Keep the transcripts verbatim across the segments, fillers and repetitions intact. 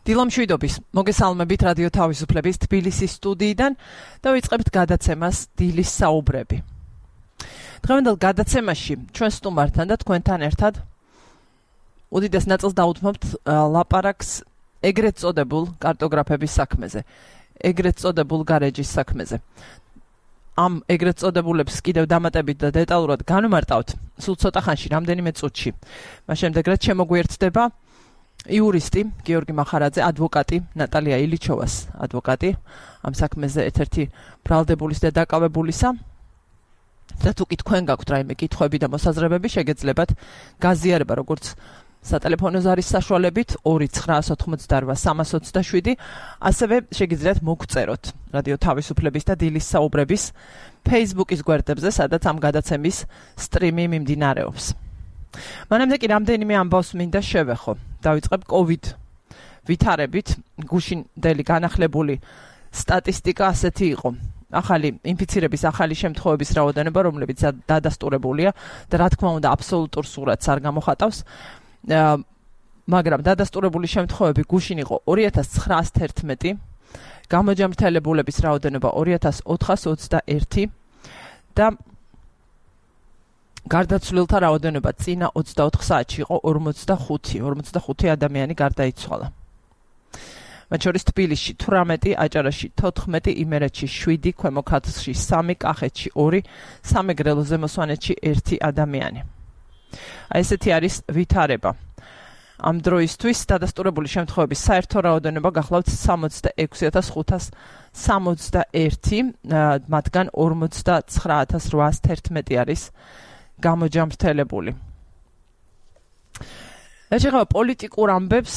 დილამშვიდობის, მოგესალმებით რადიო თავისუფლების თბილისის სტუდიიდან და ვიწყებთ გადაცემას დილის საუბრები. დღევანდელ გადაცემაში ჩვენ სტუმართან და თქვენთან ერთად უდიდეს ნაწილს დაუთმობთ ლაპარაკს ეგრეთ წოდებულ კარტოგრაფების საქმეზე, ეგრეთ წოდებულ გარეჯის საქმეზე. ამ ეგრეთ წოდებულებს კიდევ დამატებით და დეტალურად განვმარტავთ სულ ცოტა ხანში, რამდენიმე წუთში. მას შემდეგ რაც შემოგვიერთდება იურისტი გიორგი მახარაძე, ადვოკატი ნატალია ილიჩოვას ადვოკატი ამ საქმეზე ერთ-ერთი ბრალდებულის და დაკავებულისა. და თუ კი თქვენ გაქვთ რაიმე კითხვები და მოსაზრებები, შეგეძლებათ გაზიარება როგორც სატელეფონო ზარის საშუალებით ორი ცხრაას ოთხმოცდაორვა სამას ოცდაშვიდი, ასევე შეგიძლიათ მოგწეროთ რადიო თავისუფლების და დილის საუბრების Facebook-ის გვერდებზე, სადაც ამ გადაცემის სტრიმი მიმდინარეობს. მანამდე კი რამდენიმე ამბავს მინდა შევეხო. დავიწყებ COVID ვითარებით, გუშინდელი განახლებული სტატისტიკა ასეთი იყო. ახალი ინფიცირების ახალი შემთხვევების რაოდენობა, რომლებიც დადასტურებულია და რა თქმა უნდა აბსოლუტურ სურათს არ გამოხატავს, მაგრამ დადასტურებული შემთხვევები გუშინ იყო ორი ათას ცხრაას თერთმეტი, გამოჯანმრთელებულების რაოდენობა ორი ათას ოთხას ოცდაერთი და გარდაცვლილთა რაოდენობა წინა ოცდაოთხ საათში იყო ორმოცდახუთი, ორმოცდახუთი ადამიანი გარდაიცვალა. მათ შორის თბილისში თვრამეტი, აჭარაში თოთხმეტი, იმერეთში შვიდი, ქვემო ქართლში სამი, კახეთში ორი, სამეგრელო ზემო სვანეთში ერთი ადამიანი. აი ესეთი არის ვითარება. ამ დროისთვის დადასტურებული შემთხვევების საერთო რაოდენობა გახლავთ სამოცდაექვსი ათას ხუთას სამოცდაერთი, მათგან ორმოცდაცხრა ათას რვაას თერთმეტი არის გამოჯანმრთელებული. ეჩეხება პოლიტიკურ ამბებს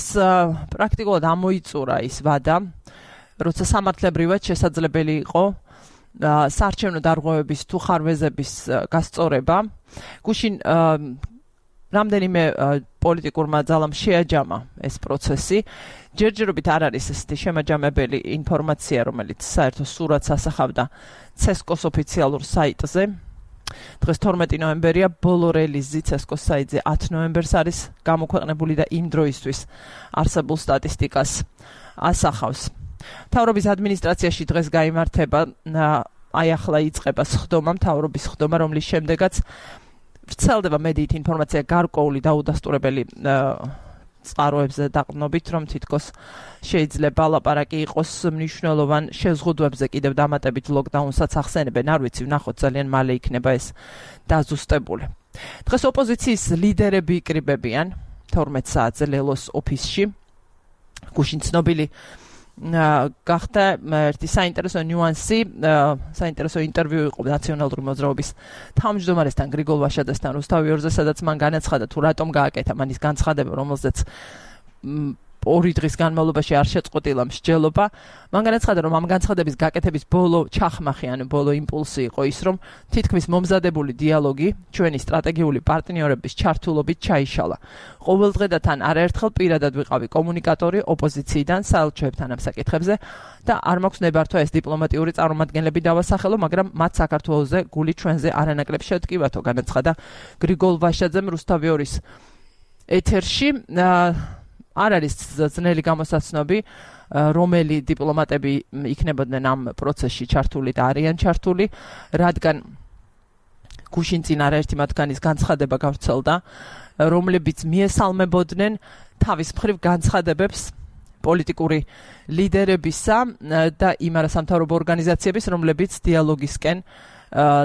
პრაქტიკულად ამოიწურა ის ვადა, როცა სამართლებრივად შესაძლებელი იყო საარჩევნო დარღვევების თუ ხარვეზების გასწორება. გუშინ რამდენიმე პოლიტიკურმა ძალამ შეაჯამა ეს პროცესი. ჯერჯერობით არ არის ესეთი შემაჯამებელი ინფორმაცია, რომელიც საერთო სურათს ასახავდა ცესკოს ოფიციალურ საიტზე. დღეს თორმეტი ნოემბერია, ბოლო რელიზი ცესკოს საიტზე ათი ნოემბერს არის გამოქვეყნებული და იმ დროისთვის არსებულ სტატისტიკას ასახავს. მთავრობის ადმინისტრაციაში დღეს გაიმართება, აი ახლა იწყება სხდომა, მთავრობის სხდომა, რომლის შემდეგაც ვრცელდება მედიით ინფორმაცია გარკვეული დაუდასტურებელი წყაროებზე დაყრდნობით, რომ თითქოს შეიძლება ლაპარაკი იყოს მნიშვნელოვან შეზღუდვებზე, კიდევ დამატებით ლოკდაუნსაც ახსენებენ, არ ვიცი, ვნახოთ, ძალიან მალე იქნება ეს დაზუსტებული. დღეს ოპოზიციის ლიდერები იკრიბებიან თორმეტ საათზე ლელოს ოფისში. გუშინ ცნობილი გახდა ერთი საინტერესო ნიუანსი, საინტერესო ინტერვიუ იყო ნაციონალური მოძრაობის თავმჯდომარესთან გრიგოლ ვაშაძესთან რუსთავი ორზე, სადაც მან განაცხადა თუ რატომ გააკეთა მან ის განცხადება, რომელზეც ორი დღის განმავლობაში არ შეწყვეტილა მსჯელობა. მან განაცხადა, რომ ამ განცხადების გაკეთების ბოლო ჩახმახი, ანუ ბოლო იმპულსი იყო ის, რომ თითქმის მომზადებული დიალოგი ჩვენი სტრატეგიული პარტნიორების ჩართულობით ჩაიშალა. ყოველდღე და თან არაერთხელ პირადად ვიყავი კომუნიკატორი ოპოზიციიდან საელჩოებთან ამ საკითხებზე და არ მაქვს ნებართვა ეს დიპლომატიური წარმომადგენლები დავასახელო, მაგრამ მათ საქართველოზე გული ჩვენზე არანაკლებ შევტკივათო, განაცხადა გრიგოლ ვაშაძემ რუსთავი ორის ეთერში. არ არის ძნელი გამოსაცნობი, რომელი დიპლომატები იქნებოდნენ ამ პროცესში ჩართული და არიან ჩართული, რადგან გუშინ წინ არაერთი მათგანის განცხადება გავრცელდა, რომლებიც მიესალმებოდნენ თავის მხრივ განცხადებებს პოლიტიკური ლიდერებისა და იმ არასამთავრობო ორგანიზაციების, რომლებიც დიალოგისკენ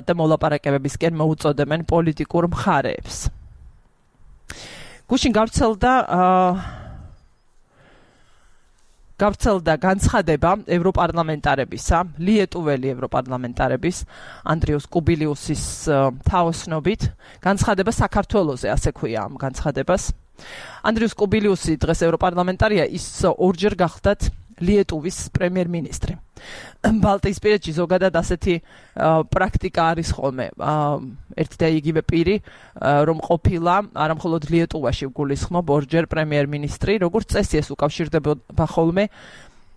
და მოლაპარაკებებისკენ მოუწოდებენ პოლიტიკურ მხარეებს. გუშინ გავრცელდა გავრცელდა განცხადება ევროპარლამენტარებისა, ლიეტუველი ევროპარლამენტარების ანდრიუს კუბილიუსის თაოსნობით, განცხადება საქართველოზე, ასე ქვია ამ განცხადებას. ანდრიუს კუბილიუსი დღეს ევროპარლამენტარია, ის ორჯერ გახდათ ლიეტუვის პრემიერ-მინისტრი. ბალტიისპირეთში ზოგადად ასეთი პრაქტიკა არის ხოლმე. ერთი და იგივე პირი, რომ ყოფილა არამხოლოდ ლიეტუვაში გულისხმობ ორჯერ პრემიერ-მინისტრი, როგორც წესი ეს უკავშირდება ხოლმე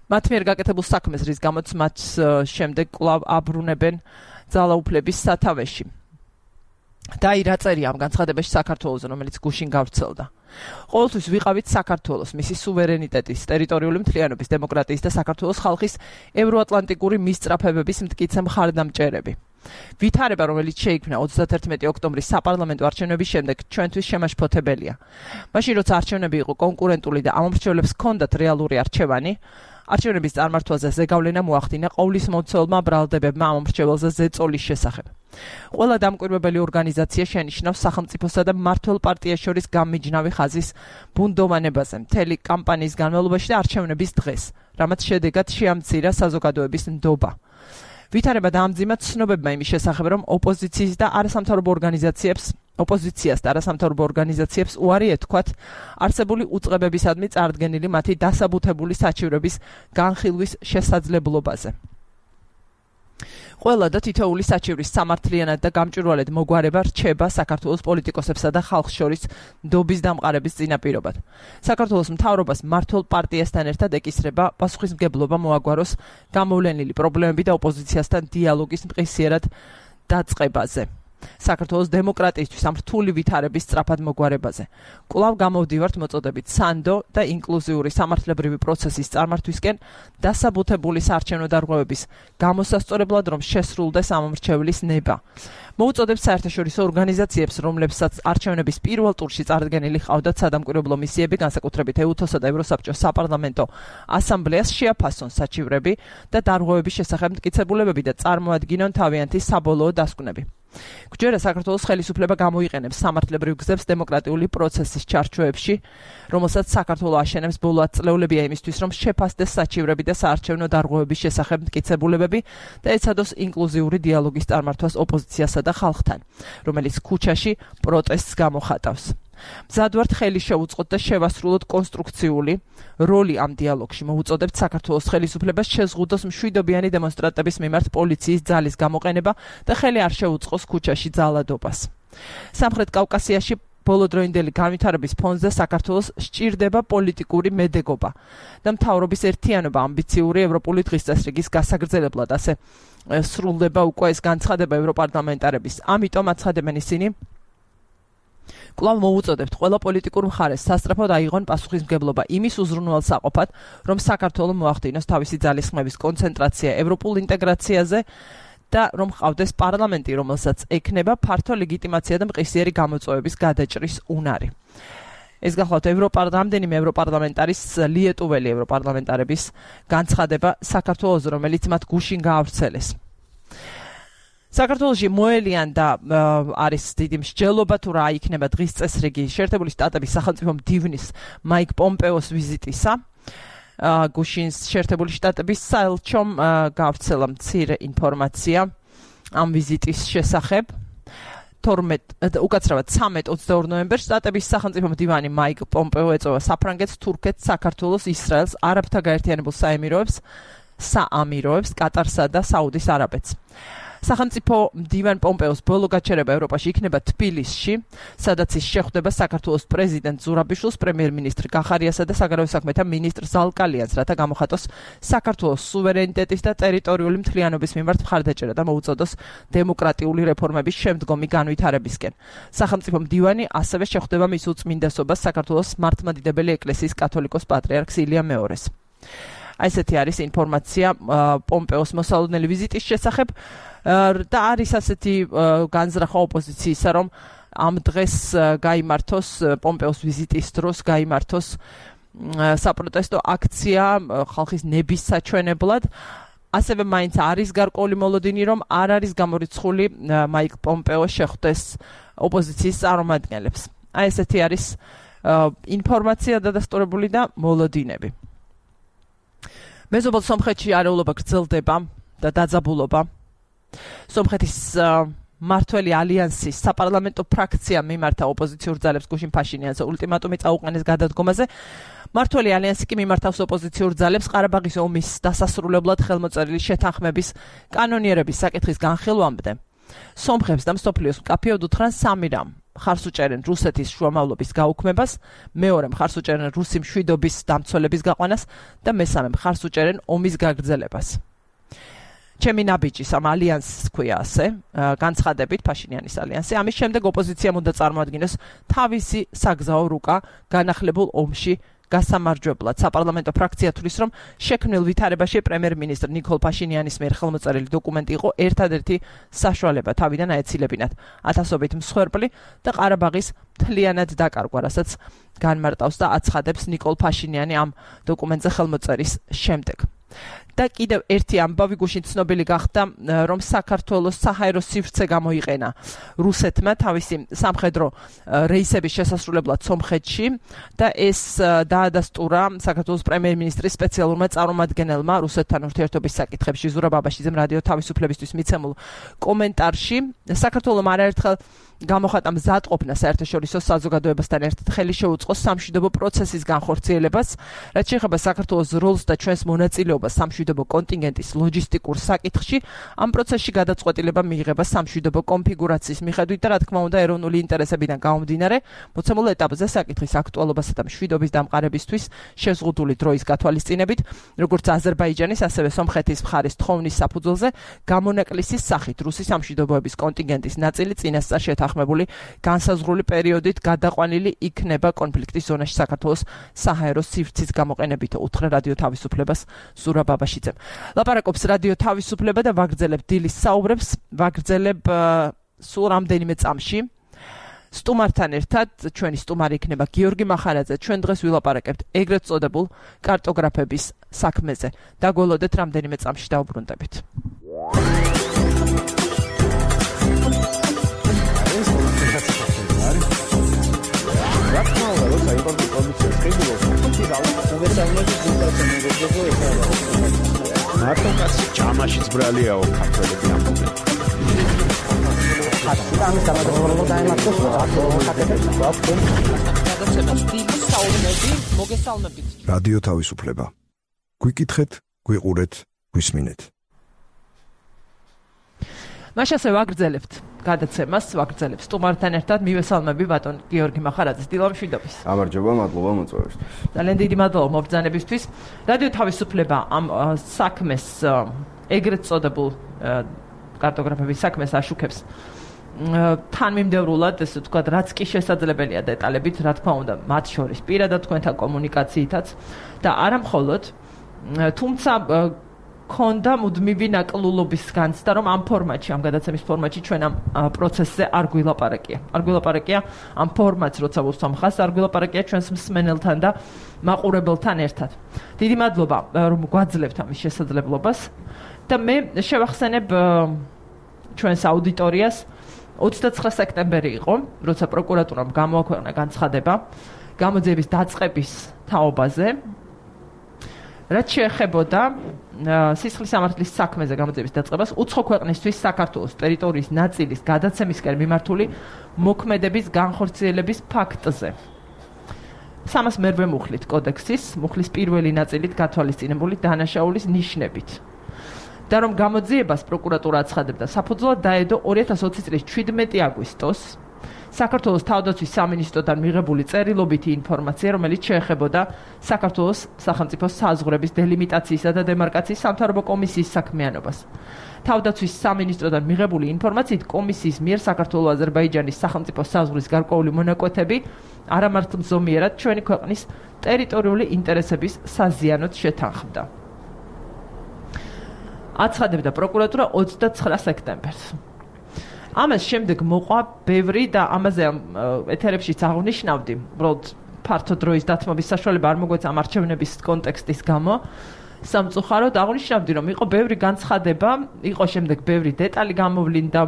მათ მიერ გაკეთებულ საქმეს, რის გამოც მათ შემდეგ კვლავ აბრუნებენ ძალაუფლების სათავეში. და აი რა წერია ამ განცხადებაში საქართველოს, რომელიც გუშინ გავრცელდა. ყოველთვის ვიყავით საქართველოს, მისი სუვერენიტეტის, ტერიტორიული მთლიანობის, დემოკრატიის და საქართველოს ხალხის ევროატლანტიკური მისწრაფებების მტკიცე მხარდამჭერები. ვითარება, რომელიც შეიქმნა ოცდათერთმეტი ოქტომბრის საპარლამენტო არჩევნების შემდეგ, ჩვენთვის შემაშფოთებელია. მაშინ როცა არჩევნები იყო კონკურენტული და ამომრჩევლებს ჰქონდათ რეალური არჩევანი, არჩევნების წარმართვაზე ზეგავლენა მოახდინა ყოვლისმომცველმა ბრალდებებმა ამომრჩეველზე ზეწოლის შესახებ. ყველა დამკვირვებელი ორგანიზაცია შენიშნავს სახელმწიფოსა და მმართველ პარტიას შორის გამმიჯნავი ხაზის ბუნდოვანებაზე მთელი კამპანიის განმავლობაში და არჩევნების დღეს, რამაც შედეგად შეამცირა საზოგადოების ნდობა. ვითარება დაამძიმა ცნობებმა იმის შესახებ, რომ ოპოზიციის და არასამთავრობო ორგანიზაციებს ოპოზიციას და არასამთავრობო ორგანიზაციებს უარი ეთქვათ არსებული უწყებებისადმი წარდგენილი მათი დასაბუთებული საჩივრების განხილვის შესაძლებლობაზე. ყველა და თითოეული საჩივრის სამართლიანად და გამჭვირვალედ მოგვარება რჩება საქართველოს პოლიტიკოსებსა და ხალხს შორის ნდობის დამყარების წინაპირობად. საქართველოს მთავრობას მმართველ პარტიასთან ერთად ეკისრება პასუხისმგებლობა მოაგვაროს გამოვლენილი პრობლემები და ოპოზიციასთან დიალოგის მყისიერად დაწყებაზე. საქართველოს დემოკრატიისთვის ამ რთული ვითარების სწრაფად მოგვარებაზე. კვლავ გამოვდივართ მოწოდებით სანდო და ინკლუზიური სამართლებრივი პროცესის წარმართვისკენ დასაბუთებული საარჩევნო დარღვევების გამოსასწორებლად, რომ შესრულდეს ამომრჩევლის ნება. მოუწოდებს საერთაშორისო ორგანიზაციებს, რომლებსაც არჩევნების პირველ ტურში წარდგენილი ჰყავდათ სადამკვირვებლო მისიები, განსაკუთრებით ეუთოს-ა და ევროსაბჭოს საპარლამენტო ასამბლეას შეაფასონ საჩივრები და დარღვევების შესახებ მტკიცებულებები და წარმოადგინონ თავიანთი საბოლოო დასკვნები. გვჯერა საქართველოს ხელისუფლება გამოიყენებს სამართლებრივ გზებს დემოკრატიული პროცესის ჩარჩოებში, რომელსაც საქართველო აშენებს ბოლო ათწლეულებია იმისთვის, რომ შეფასდეს საჩივრები და საარჩევნო დარღვევების შესახებ მტკიცებულებები და ეცადოს ინკლუზიური დიალოგის წარმართვას ოპოზიციასა და ხალხთან, რომელიც ქუჩაში პროტესტს გამოხატავს. მზადვართ ხელი შევუწყოთ და შევასრულოთ კონსტრუქციული როლი ამ დიალოგში. მოუწოდებთ საქართველოს ხელისუფლებას შეზღუდოს მშვიდობიანი დემონსტრანტების მიმართ პოლიციის ძალის გამოყენება და ხელი არ შეუწყოს ქუჩაში ძალადობას. სამხრეთ კავკასიაში ბოლოდროინდელი განვითარების ფონზე საქართველოს სჭირდება პოლიტიკური მედეგობა და მთავრობის ერთიანობა ამბიციური ევროპული დღესდღეობის გასაგრძელებლად, ასე სრულდება უკვე ეს განცხადება ევროპარლამენტარების. ამიტომ აცხადებენ ისინი, კვლავ მოუწოდებთ ყველა პოლიტიკურ მხარეს სასწრაფოდ აიღონ პასუხისმგებლობა იმის უზრუნველსაყოფად, რომ საქართველო მოახდინოს თავისი ძალისხმევის კონცენტრაცია ევროპულ ინტეგრაციაზე და რომ ყავდეს პარლამენტი, რომელსაც ექნება ფართო ლეგიტიმაცია და მყისიერი გამოწვევების გადაჭრის უნარი. ეს გახლავთ ევროპარლამენტი, ევროპარლამენტარის ლიეტუველი ევროპარლამენტარების განცხადება საქართველოს, რომელიც მათ გუშინ გაავრცელეს. საქართველოში მოელიან და არის დიდი მსჯელობა თუ რა იქნება დღის წესრიგი შეერთებული შტატების სახელმწიფო მდივნის მაიკ პომპეოს ვიზიტისა. გუშინ შეერთებული შტატების საელჩომ გავრცელა მცირე ინფორმაცია ამ ვიზიტის შესახებ. თორმეტ უკაცრავად ცამეტ ოცდაორ ნოემბერს შტატების სახელმწიფო მდივანი მაიკ პომპეო ეწევა საფრანგეთს, თურქეთს, საქართველოს, ისრაელს, არაბთა გაერთიანებულ საემიროებს, საამიროებს, კატარსა და საუდის არაბეთს. სახელმწიფო მდივან პომპეოს ბოლო გაჩერება ევროპაში იქნება თბილისში, სადაც ის შეხვდება საქართველოს პრეზიდენტ ზურაბიშვილს, პრემიერ-მინისტრ გახარიასა და საგარეო საქმეთა მინისტრ ზალკალიანს, რათა გამოხატოს საქართველოს სუვერენიტეტის და ტერიტორიული მთლიანობის მიმართ მხარდაჭერა და მოუწოდოს დემოკრატიული რეფორმების შემდგომი განვითარებისკენ. სახელმწიფო მდივანი ასევე შეხვდება მის უწმინდესობას საქართველოს მართლმადიდებელი ეკლესიის კათოლიკოს პატრიარქს ილია მეორეს. აი ესეთი არის ინფორმაცია პომპეოს მოსალოდნელი ვიზიტის შესახებ და არის ასეთი განზრახვა ოპოზიციისა, რომ ამ დღეს გაიმართოს პომპეოს ვიზიტის დროს გაიმართოს საპროტესტო აქცია ხალხის ნების საჩვენებლად. ასევე მაინც არის გარკვეული მოლოდინი, რომ არ არის გამორიცხული მაიკ პომპეო შეხვდეს ოპოზიციის წარმომადგენლებს. აი ესეთი არის ინფორმაცია დადასტურებული და მოლოდინები. მეზობელ სომხეთში არეულობა გრძელდება და დაძაბულობა. სომხეთის მმართველი ალიანსის საპარლამენტო ფრაქცია მიმართა ოპოზიციურ ძალებს გუშინ ფაშინიანს ულტიმატუმი წაუყენეს გადადგომაზე. მმართველი ალიანსი კი მიმართავს ოპოზიციურ ძალებს ყარაბაღის ომის დასასრულებლად ხელმოწერილი შეთანხმების კანონიერების საკითხის განხილვამდე. სომხებს და მსოფლიოს მკაფიოდ უთხრან სამი რამ. მხარს უჭერენ რუსეთის შუამავლობის გაუქმებას, მეორე მხარს უჭერენ რუსი მშვიდობის დამცველების გაყვანას და მესამე მხარს უჭერენ ომის გაგრძელებას. ჩემი ნაბიჯის ამ ალიანსს ქვია ასე, განცხადებით ფაშინიანის ალიანსი. ამის შემდეგ ოპოზიციამ უნდა წარმოადგინოს თავისი საგზაო რუკა განახლებულ ომში გასამარჯვებლად. საპარლამენტო ფრაქცია თვლის, რომ შექმნილ ვითარებაში პრემიერ-მინისტრ ნიკოლ ფაშინიანის მიერ ხელმოწერილი დოკუმენტი იყო ერთადერთი საშუალება თავიდან აეცილებინათ ათასობით მსხვერპლი და ყარაბაღის მთლიანად დაკარგვა, რასაც განმარტავს და აცხადებს ნიკოლ ფაშინიანი ამ დოკუმენტზე ხელმოწერის შემდეგ. და კიდევ ერთი ამბავი გუშინ ცნობილი გახდა, რომ საქართველოს საჰაერო სივრცე გამოიყენა რუსეთმა თავისი სამხედრო რეისების შესასრულებლად სომხეთში და ეს დაადასტურა საქართველოს პრემიერ-მინისტრის სპეციალურმა წარმომადგენელმა რუსეთთან ურთიერთობის საკითხებში ზურაბ ბაბაშიძემ რადიო თავისუფლებისთვის მიცემულ კომენტარში. საქართველოს არაერთხელ გამოხატა მზადყოფნა საერთაშორისო საზოგადოებასთან ერთად ხელი შეუწყოს სამშვიდობო პროცესის განხორციელებას, რაც შეეხება საქართველოს როლს და ჩვენს მონაწილეობას სამშვიდობო კონტინგენტის ლოჯისტიკურ საკითხში. ამ პროცესში გადაწყვეტილება მიიღება სამშვიდობო კონფიგურაციის მიხედვით და რა თქმა უნდა ეროვნული ინტერესებიდან გამომდინარე, მოცემულ ეტაპზე საკითხის აქტუალობასა და მშვიდობის დამყარებისთვის შეზღუდული დროის გათვალისწინებით, როგორც აზერბაიჯანის, ასევე სომხეთის მხარის თხოვნის საფუძველზე გამონაკლისის სახით რუსი სამშვიდობოების კონტინგენტის ნაწილი წინასწარ შეთანხმებული განსაზღვრული პერიოდით გადაყვანილი იქნება კონფლიქტის ზონაში საქართველოს საჰაერო სივრცის გამოყენებით, უთხრა რადიო თავისუფლებას ზურაბ ბაბაშიძემ. ლაპარაკობს რადიო თავისუფლება და ვაგრძელებ დილის საუბრებს, ვაგრძელებ სულ რამდენიმე წამში. სტუმართან ერთად ჩვენი სტუმარი იქნება გიორგი მახარაძე. ჩვენ დღეს ვილაპარაკებთ ეგრეთ წოდებულ კარტოგრაფების საქმეზე. დაგველოდეთ რამდენიმე წამში დავბრუნდებით. მარტო კაცი ჯამაშიც ბრალიაო ქართველები ამბობენ. ამის დამადროულად დაემართოს რადიო თავისუფლება. გვიკითხეთ, გვიყურეთ, გვისმინეთ. მაშასე ვაგრძელებთ გადაცემას, ვაგრძელებ სტუმართან ერთად მივესალმები ბატონ გიორგი მახარაძეს. დილამშვიდობის. გამარჯობა, მადლობა მოწვევისთვის. ძალიან დიდი მადლობა მობრძანებისთვის. რადიო თავისუფლება ამ საქმეს ეგრეთ წოდებულ კარტოგრაფების საქმეს აშუქებს თანმიმდევრულად, ესე ვთქვათ, რაც კი შესაძლებელია დეტალებით, რა თქმა უნდა, მათ შორის პირადად თქვენთან კომუნიკაციითაც და არა მხოლოდ, თუმცა ქონდა მუდმივი ნაკლულობის განცდა, რომ ამ ფორმატში, ამ გადაცემის ფორმატში ჩვენ ამ პროცესზე არ გვილაპარაკია. არ გვილაპარაკია ამ ფორმატს, როცა ვუსამხას, არ გვილაპარაკია ჩვენს მსმენელთან და მაყურებელთან ერთად. დიდი მადლობა, რომ გვაძლევთ ამის შესაძლებლობას და მე შევახსენებ ჩვენს აუდიტორიას ოცდაცხრა სექტემბერი იყო, როცა პროკურატურამ გამოაქვეყნა განცხადება გამოძიების დაწყების თაობაზე, რაც შეეხებოდა სისხლის სამართლის საქმეზე გამოძიების დაწყებას უცხო ქვეყნისთვის საქართველოს ტერიტორიის ნაწილის გადაცემისკენ მიმართული მოქმედების განხორციელების ფაქტზე. სამას მერვე მუხლით კოდექსის, მუხლის პირველი ნაწილით გათვალისწინებული დანაშაულის ნიშნებით. და რომ გამოძიებას პროკურატურა აცხადებდა საფუძვლად დაედო ორი ათას ოცი წლის ჩვიდმეტი აგვისტოს საქართველოს თავდაცვის სამინისტროდან მიღებული წერილობითი ინფორმაცია, რომელიც შეეხებოდა საქართველოს სახელმწიფო საზღვრების დელიმიტაციისა და დემარკაციის სამთავრობო კომისიის საქმიანობას. თავდაცვის სამინისტროდან მიღებული ინფორმაციით კომისიის მიერ საქართველო-აზერბაიჯანის სახელმწიფო საზღვრის გარკვეული მონაკვეთები არამართლმზომიერად ჩვენი ქვეყნის ტერიტორიული ინტერესების საზიანოდ შეთანხმდა. აცხადებდა პროკურატურა ოცდაცხრა სექტემბერს. ამას შემდეგ მოყვა ბევრი და ამაზე ეთერებშიც აღნიშნავდი, უბრალოდ ფართო დროის დათმობის საშუალება არ მოგვეცა ამ არჩევნების კონტექსტის გამო. სამწუხაროდ აღნიშნავდი, რომ იყო ბევრი განცხადება, იყო შემდეგ ბევრი დეტალი გამოვლინდა,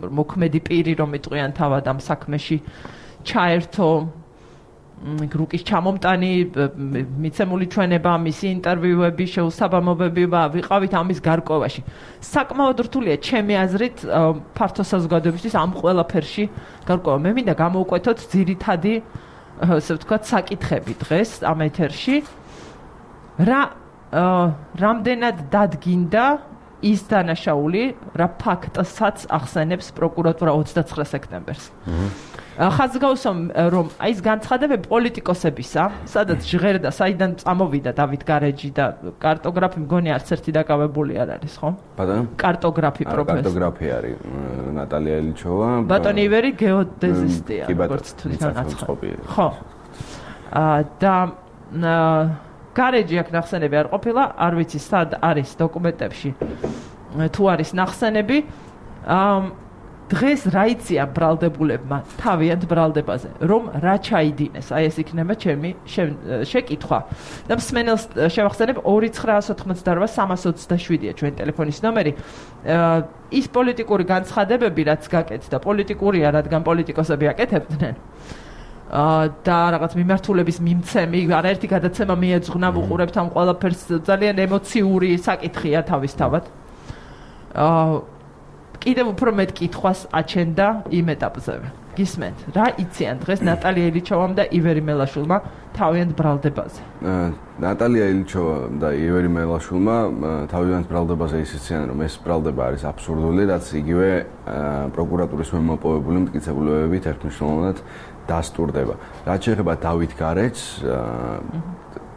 მოქმედი პირი რომ იტყვიან თავად ამ საქმეში ჩაერთო რუკის ჩამომტანი, მიცემული ჩვენება, მისი ინტერვიუები, შეუსაბამობები ვიყავით ამის გარკვევაში. საკმაოდ რთულია ჩემი აზრით ფართო საზოგადოებისთვის ამ ყველაფერში გარკვევა. მე მინდა გამოვკვეთოთ ძირითადი, ასე ვთქვათ, საკითხები დღეს ამ ეთერში. რა რამდენად დადგინდა ის დანაშაული, რა ფაქტსაც ახსენებს პროკურატურა ოცდაცხრა სექტემბერს. ხაზგაუსო რომ აი ეს განცხადებები პოლიტიკოსებისა, სადაც ჟღერდა, საიდან წამოვიდა დავით გარეჯი და კარტოგრაფი მგონი არც ერთი დაკავებული არ არის, ხო? ბატონო? კარტოგრაფი პროფესორი. კარტოგრაფი არის ნატალია ილიჩოვა. ბატონი ივერი გეოდეზისტია, როგორც თვითონ აცხადებს. ხო. და გარეჯი აქ ნახსენები არ ყოფილა, არ ვიცი სად არის დოკუმენტებში თუ არის ნახსენები. დღეს რა იციან ბრალდებულებმა თავიანთ ბრალდებაზე, რომ რა ჩაიდინეს, აი ეს იქნება ჩემი შეკითხვა. და მსმენელს შევახსენებ ორი ცხრაას ოთხმოცდაორვა სამას ოცდაშვიდია ჩვენი ტელეფონის ნომერი. ის პოლიტიკური განცხადებები, რაც გაკეთდა, პოლიტიკურია, რადგან პოლიტიკოსები აკეთებდნენ. და რაღაც მიმართულების მიმცემი, არაერთი გადაცემა მიეძღვნა, ვუყურებთ ამ ყველაფერს, ძალიან ემოციური საკითხია თავისთავად. კიდევ უფრო მეტ კითხვას აჩენდა იმ ეტაპზე. გისმენთ, რა იციან დღეს ნატალია ილიჩოვამ და ივერი მელაშვილმა თავიანთ ბრალდებაზე? ნატალია ილიჩოვა და ივერი მელაშვილმა თავიანთ ბრალდებაზე ის იციან, რომ ეს ბრალდება არის აბსურდული, რაც იგივე პროკურატურის მემოპოვებული მტკიცებულებებით ერთმნიშვნელოვნად დასტურდება. რაც შეეხება დავით გარეჯს,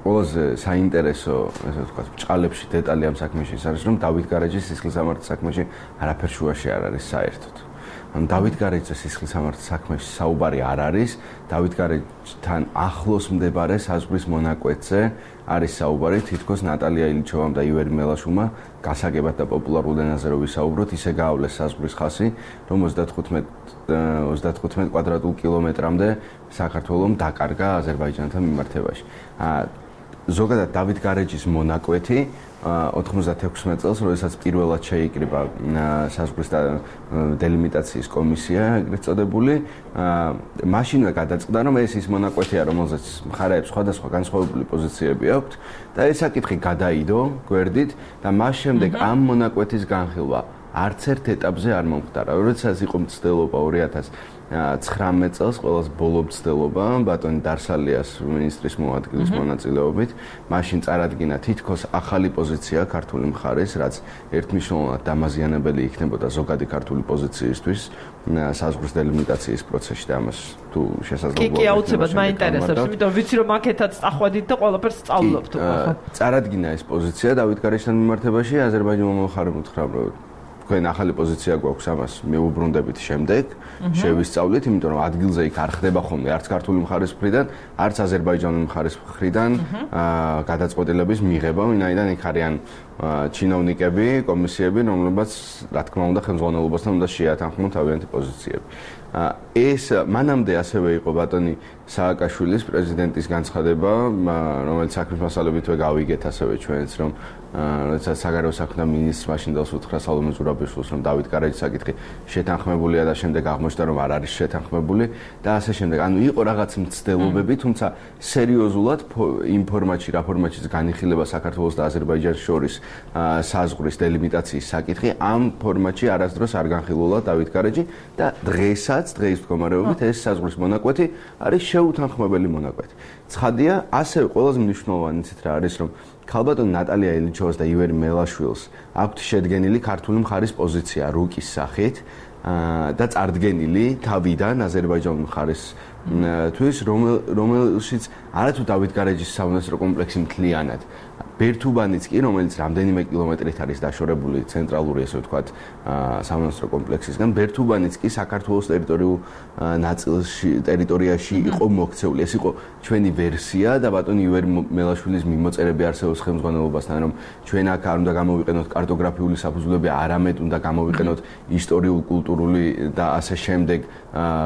ყველაზე საინტერესო, ესე ვთქვათ, ბჭყალებში დეტალი ამ საქმეში ის არის, რომ დავით გარეჯის სისხლისამართლის საქმეში არაფერ შუაში არ არის საერთოდ. ან დავით გარეჯის სისხლისამართლის საქმეში საუბარი არ არის, დავით გარეჯთან ახლოს მდებარე საზღვრის მონაკვეთზე არის საუბარი, თითქოს ნატალია ილიჩოვამ და ივერი მელაშვილმა გასაგებად და პოპულარულ ენაზე რო ვისაუბროთ, ისე გაავლეს საზღვრის ხაზი, რომ ოცდათხუთმეტ კვადრატულ კილომეტრამდე საქართველომ დაკარგა აზერბაიჯანთან მიმართებაში. ზოგადად დავით გარეჯის მონაკვეთი ოთხმოცდათექვსმეტ წელს, როდესაც პირველად შეიკრიბა საზღვრის დელიმიტაციის კომისია, ეგრეთ წოდებული, მაშინვე გადაწყდა, რომ ეს ის მონაკვეთია, რომელზეც მხარეებს სხვადასხვა განსხვავებული პოზიციები აქვთ და ეს საკითხი გადაიდო გვერდით და მას შემდეგ ამ მონაკვეთის განხილვა არც ერთ ეტაპზე არ მომხდარა. როდესაც იყო მცდელობა ორი ათას ცხრამეტ წელს, ყველას ბოლო მცდელობა ბატონი დარსალიას მინისტრის მოადგილის მონაწილეობით, მაშინ წარადგინა თითქოს ახალი პოზიცია ქართული მხარის, რაც ერთმნიშვნელოვნად დამაზიანებელი იქნებოდა ზოგადი ქართული პოზიციისთვის საზღვრის დელიმიტაციის პროცესში და ამას თუ შესაძლოა. კი, კი, აუცილებლად მაინტერესებს, იმიტომ ვიცი რომ აქეთაც წახვედით და ყველაფერს სწავლობთ უკვე. წარადგინა ეს პოზიცია დავით გარეჯთან მიმართებაში, აზერბაიჯანმა მხარემ უთხრა, რომ თქვენ ახალი პოზიცია გვაქვს, ამას მეუბრუნდებით შემდეგ, შევისწავლით, იმიტომ რომ ადგილზე იქ არ ხდება ხოლმე არც ქართული მხარის მხრიდან, არც აზერბაიჯანული მხარის მხრიდან გადაწყვეტილების მიღება, ვინაიდან იქ არიან ჩინოვნიკები, კომისიები, რომლებიც რა თქმა უნდა ხელმძღვანელობასთან უნდა შეათანხმონ თავიანთი პოზიციები. ეს მანამდე ასევე იყო ბატონი სააკაშვილის პრეზიდენტის განცხადება, რომელიც საქმის მასალებითვე გავიგეთ ასევე ჩვენც, რომ როდესაც საგარეო საქმეთა მინისტრს მაშინდელს უთხრა სალომე ზურაბიშვილს, რომ დავით გარეჯის საკითხი შეთანხმებულია და შემდეგ აღმოჩნდა, რომ არ არის შეთანხმებული და ასე შემდეგ. ანუ იყო რაღაც მცდელობები, თუმცა სერიოზულად იმ ფორმატში, რა ფორმატშიც განიხილება საქართველოს და აზერბაიჯანის შორის საზღვრის დელიმიტაციის საკითხი, ამ ფორმატში არასდროს არ განხილულა დავით გარეჯი და დღესაც, დღეის მდგომარეობით ეს საზღვრის მონაკვეთი არის შეუთანხმებელი მონაკვეთი. ცხადია, ასევე ყველაზე მნიშვნელოვანიც რა არის, რომ ქალბატონ ნატალია ილიჩოვას და ივერი მელაშვილს აქვთ შედგენილი ქართული მხარის პოზიცია რუკის სახით და წარდგენილი თავიდან აზერბაიჯანული მხარის თვის, რომელშიც არათუ დავით გარეჯის სამონასტრო კომპლექსი მთლიანად, ბერთუბანიც კი, რომელიც რამდენიმე კილომეტრით არის დაშორებული ცენტრალური, ესე ვთქვათ, სამონასტრო კომპლექსისგან, ბერთუბანიც კი საქართველოს ტერიტორიულ ნაწილში, ტერიტორიაში იყო მოქცეული. ეს იყო ჩვენი ვერსია და ბატონი ივერი მელაშვილის მიმოწერები არსებობს ხელმძღვანელობასთან, რომ ჩვენ აქ არ უნდა გამოვიყენოთ კარტოგრაფიული საფუძვლები, არამედ უნდა გამოვიყენოთ ისტორიულ, კულტურული და ასე შემდეგ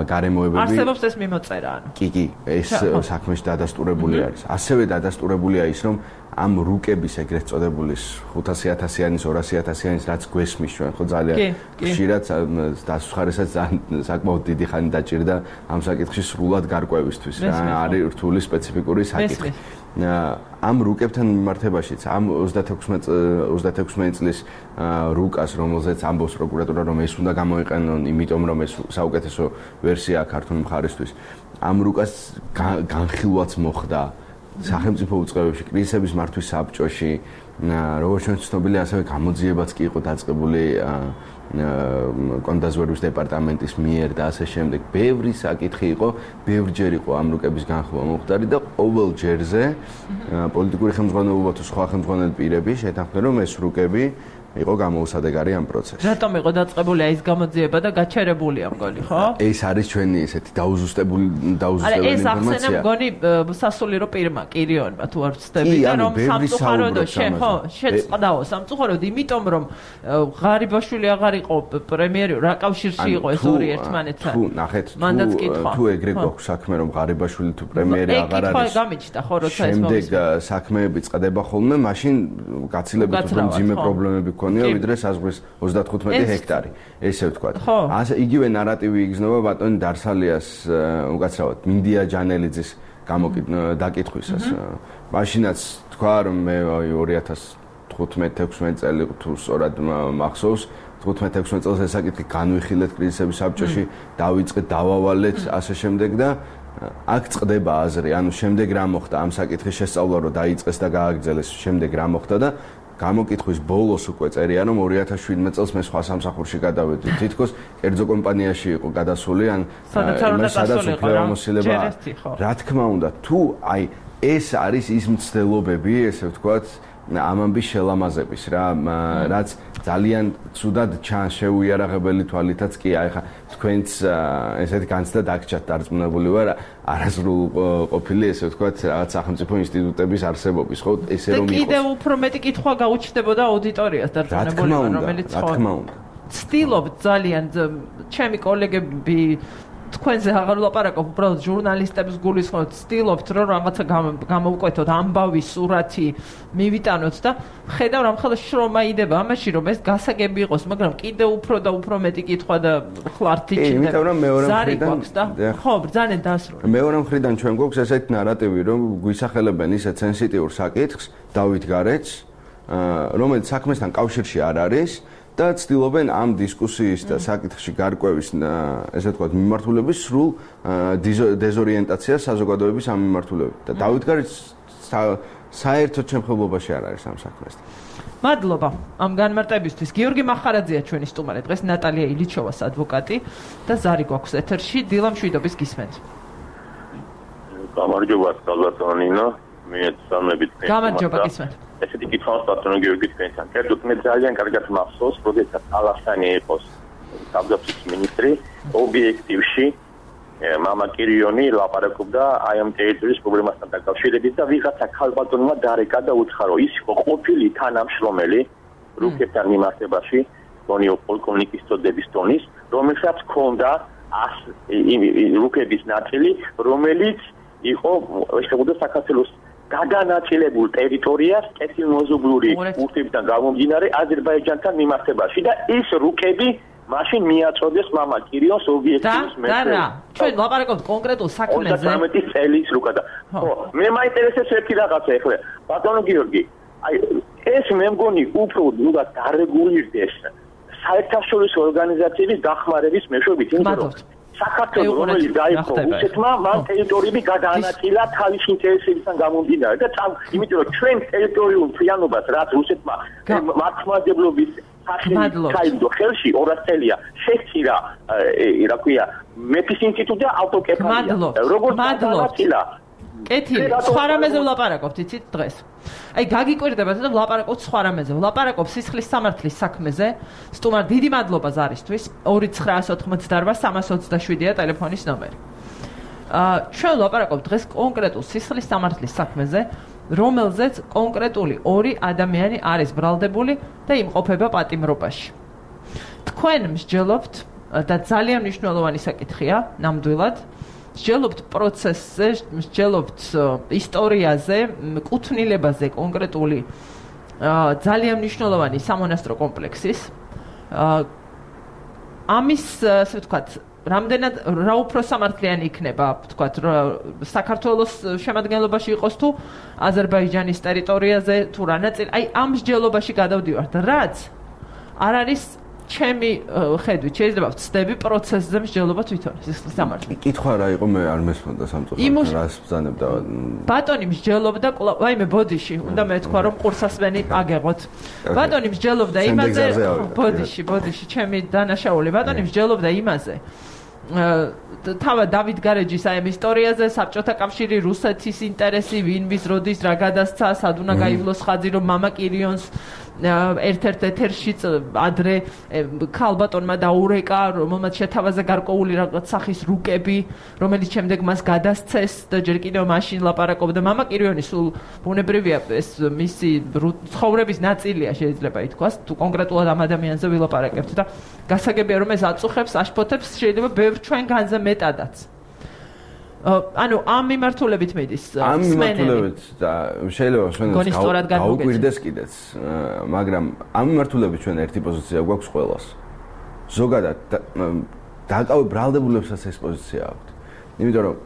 გარემოებები. არსებობს ეს მიმოწერა, ანუ. კი, კი, ეს საქმეში დადასტურებული არის. ასევე დადასტურებულია ის, რომ ამ რუკების ეგრეთ წოდებული ხუთასი ათასიანის, ორასი ათასიანის, რაც გვესმის ჩვენ, ხო ძალიან ხშირად დასხარესაც საკმაოდ დიდი ხანი დაჭირდა ამ საკითხში სრულად გარკვევისთვის. არის რთული სპეციფიკური საკითხი. ამ რუკებთან მიმართებაშიც, ამ ოცდათექვსმეტ წლის რუკას, რომელზეც ამბობს პროკურატურა, რომ ეს უნდა გამოიყენონ, იმიტომ რომ ეს საუკეთესო ვერსია ქართული მხარისთვის, ამ რუკას განხილვაც მოხდა სახელმწიფო უწყებებში, კრიზისების მართვის საბჭოში, როგორც ჩვენ ცნობილი, ასევე გამოძიებაც კი იყო დაწყებული კონდაზვერვის დეპარტამენტის მიერ და ასე შემდეგ. ბევრი საკითხი იყო, ბევრჯერ იყო ამ რუკების განხილვა მომხდარი და ყოველ ჯერზე პოლიტიკური ხელმძღვანელობა თუ სხვა ხელმძღვანელი პირები შეთანხმდნენ, რომ ეს რუკები იყო გამოუსადეგარი ამ პროცესში. რატომ იყო დაწყებული ეს გამოძიება და გაჩერებული ამ გოლი, ხო? ეს არის ჩვენი ესეთი დაუზუსტებული დაუზუსტებელი ინფორმაცია. არა, ეს ახსენა მგონი სასულიერო პირმა, კირიონმა თუ არ ვცდები და რომ სამწუხაროდ ხო, შეწყდაო სამწუხაროდ, იმიტომ რომ ღარიბაშვილი აღარ იყო პრემიერი, რა კავშირში იყო ეს ორი ერთმანეთთან. თუ ნახეთ, თუ ეგრე გვაქვს საქმე რომ ღარიბაშვილი თუ პრემიერი აღარ არის. ეს გამიჩნდა ხო, როცა ეს შემდეგ საქმეები წყდება ხოლმე, მაშინ გაცილებით უფრო მძიმე პრობლემები ქონია ვიდრე საზღვრის ოცდათხუთმეტი ჰექტარი, ესე ვთქვათ. ასე იგივე ნარატივი იგრძნობა ბატონი დარსალიას უკაცრავად მინდია ჯანელიძის დაკითხვისას. მაშინაც თქვა რომ მე ორი ათას თხუთმეტ ექვსმეტ წელი თუ სწორად მახსოვს, თხუთმეტ ექვსმეტ წელს ეს საკითხი განვიხილეთ კრიზისების საბჭოში, დავიწყეთ, დავავალეთ, ასე შემდეგ და აქ წყდება აზრი, ანუ შემდეგ რა მოხდა ამ საკითხის შესწავლა რომ დაიწყეს და გააგრძელეს, შემდეგ რა მოხდა და გამოკითხვის ბოლოს უკვე წერია რომ ორი ათას შვიდმეტ წელს მე სხვა სამსახურში გადავედი. თითქოს კერძო კომპანიაში იყო გადასული ან სადაც უფლებამოსილება. რა თქმა უნდა, თუ აი ეს არის ის მცდელობები, ესე ვთქვათ, ამ ამბის შელამაზების რა, რაც ძალიან ცუდად ჩანს შეუიარაღებელი თვალითაც კი, აი ხა თქვენც ესეთ განცდა დაგჭათ დარწმუნებული ვარ არასრულ ყოფილი ესე ვთქვათ რაღაც სახელმწიფო ინსტიტუტების არსებობის, ხო, ესე რომ იყოს. კიდევ უფრო მეტი კითხვა გაუჩნდებოდა აუდიტორიას დარწმუნებული ვარ, რომელიც ხო. რა თქმა უნდა. ცდილობთ ძალიან ჩემი კოლეგები თქვენზე აღარ ვლაპარაკობ, უბრალოდ ჟურნალისტებს გულისხმობთ, ცდილობთ რომ რაღაცა გამოვკვეთოთ, ამბავი, სურათი მივიტანოთ და ხედავ რომ ხელში შრომა იდება ამაში, რომ ეს გასაგები იყოს, მაგრამ კიდევ უფრო და უფრო მეტი კითხვა და ხლართი ჭირდება. იმიტომ რომ მეორე მხრიდან ხო, ბრძაnen დასრულდა. მეორე მხრიდან ჩვენ გვაქვს ესეთი ნარატივი, რომ გვისახელებენ ისეთ სენსიტიურ საკითხს, დავით გარეთს, რომელიც საქმესთან კავშირში არ არის. და ცდილობენ ამ დისკუსიის და საკითხში გარკვევის, ესე ვთქვათ, მიმართულების სრულ დეზორიენტაციას საზოგადოების ამ მიმართულებით. და დავით გარეთს საერთოდ შემხებლობაში არ არის ამ საქმესთან. მადლობა ამ განმარტებისთვის. გიორგი მახარაძეა ჩვენი სტუმარი. დღეს ნატალია ილიჩოვას ადვოკატი და ზარი გვაქვს ეთერში. დილა მშვიდობის გისმენთ. გამარჯობა, კალბატონინო. მე სამებით მე. გამარჯობა, გისმენთ. ესეთი კითხავს პატრონი გიორგი თქვენთან. კერძოდ მე ძალიან კარგად მახსოვს, როდესაც ალასანი იყო თავდაცვის მინისტრი, ობიექტივში მამა კირიონი ლაპარაკობდა აი ამ ტერიტორიის პრობლემასთან დაკავშირებით და ვიღაცა ქალბატონმა დარეკა და უთხრა, რომ ის იყო ყოფილი თანამშრომელი რუკებთან მიმართებაში, გონიო პოლკოვნიკის წოდების ტონის, რომელსაც ჰქონდა რუკების ნაწილი, რომელიც იყო შეგუდა საქართველოს გადანაწილებულ ტერიტორიას კეთილმოზობლური ურთიერთობიდან გამომდინარე აზერბაიჯანთან მიმართებაში და ის რუკები მაშინ მიაწოდეს მამა კირიონს ობიექტივის მეტყვი. და რა, ჩვენ ლაპარაკობთ კონკრეტულ საქმეზე. ოცდაათი წელის რუკა და ხო, მე მაინტერესებს ერთი რაღაცა ეხლა. ბატონო გიორგი, აი ეს მე მგონი უფრო უნდა დარეგულირდეს საერთაშორისო ორგანიზაციების დახმარების მეშვეობით, იმიტომ რომ საქართველოს რომელიც დაიპყრო რუსეთმა, მან ტერიტორიები გადაანაწილა თავის ინტერესებიდან გამომდინარე და იმიტომ რომ ჩვენ ტერიტორიულ მთლიანობას რაც რუსეთმა მართლმადიდებლობის საერთო ხელში ორას წელია შეცირა, რა ქვია, მეფის ინსტიტუტი და ავტოკეფალია. როგორც გადაანაწილა კეთილი, სხვა რამეზე ვლაპარაკობთ, იცით დღეს. აი, გაგიკვირდებათ და ვლაპარაკობთ სხვა რამეზე. ვლაპარაკობ სისხლის სამართლის საქმეზე. სტუმარ, დიდი მადლობა ზარისთვის. ორი ცხრაასი ოთხმოცდაოთხ სამას ოცდაშვიდია ტელეფონის ნომერი. აა, ჩვენ ვლაპარაკობთ დღეს კონკრეტულ სისხლის სამართლის საქმეზე, რომელზეც კონკრეტული ორი ადამიანი არის ბრალდებული და იმყოფება პატიმრობაში. თქვენ მსჯელობთ და ძალიან მნიშვნელოვანი საკითხია, ნამდვილად. მსჯელობთ პროცესზე, მსჯელობთ ისტორიაზე, კუთვნილებაზე კონკრეტული ძალიან მნიშვნელოვანი სამონასტრო კომპლექსის. ამის, ასე ვთქვათ, რამდენად რა უფრო სამართლიანი იქნება, ვთქვათ, საქართველოს შემადგენლობაში იყოს თუ აზერბაიჯანის ტერიტორიაზე თუ რა ნაწილი, აი ამ მსჯელობაში გადავდივართ, რაც არ არის ჩემი ხედვით შეიძლება ვწდები პროცესზე მსჯელობა თვითონ სისხლის სამართლით. კითხვა რა იყო მე არ მესმოდა სამწუხაროდ რას ბრძანებდა. ბატონი მსჯელობდა ვაიმე ბოდიში უნდა მეთქვა რომ ყურსასმენი აგეღოთ. ბატონი მსჯელობდა იმაზე ბოდიში ბოდიში ჩემი დანაშაული ბატონი მსჯელობდა იმაზე თავად დავით გარეჯის აი ამ ისტორიაზე საბჭოთა კავშირი რუსეთის ინტერესი ვინ ვის როდის რა გადასცა სად უნდა გაივლოს ხაზი რომ მამა კირიონს ერთ-ერთ ეთერში ადრე ქალბატონმა დაურეკა რომელმაც შეთავაზა გარკვეული რაღაც სახის რუკები რომელიც შემდეგ მას გადასცეს და ჯერ კიდევ მაშინ ლაპარაკობდა მამა კირიონი სულ ბუნებრივია ეს მისი ცხოვრების ნაწილია შეიძლება ითქვას თუ კონკრეტულად ამ ადამიანზე ვილაპარაკებთ და გასაგებია რომ ეს აწუხებს აშფოთებს შეიძლება ბევრ ჩვენ განზე მეტადაც ანუ ამ მიმართულებით მედის ამ მიმართულებით და შეიძლება მსმენელს გაუკვირდეს კიდეც მაგრამ ამ მიმართულებით ჩვენ ერთი პოზიცია გვაქვს ყველას ზოგადად დაკავე ბრალდებულებსაც ეს პოზიცია აქვს იმიტომ რომ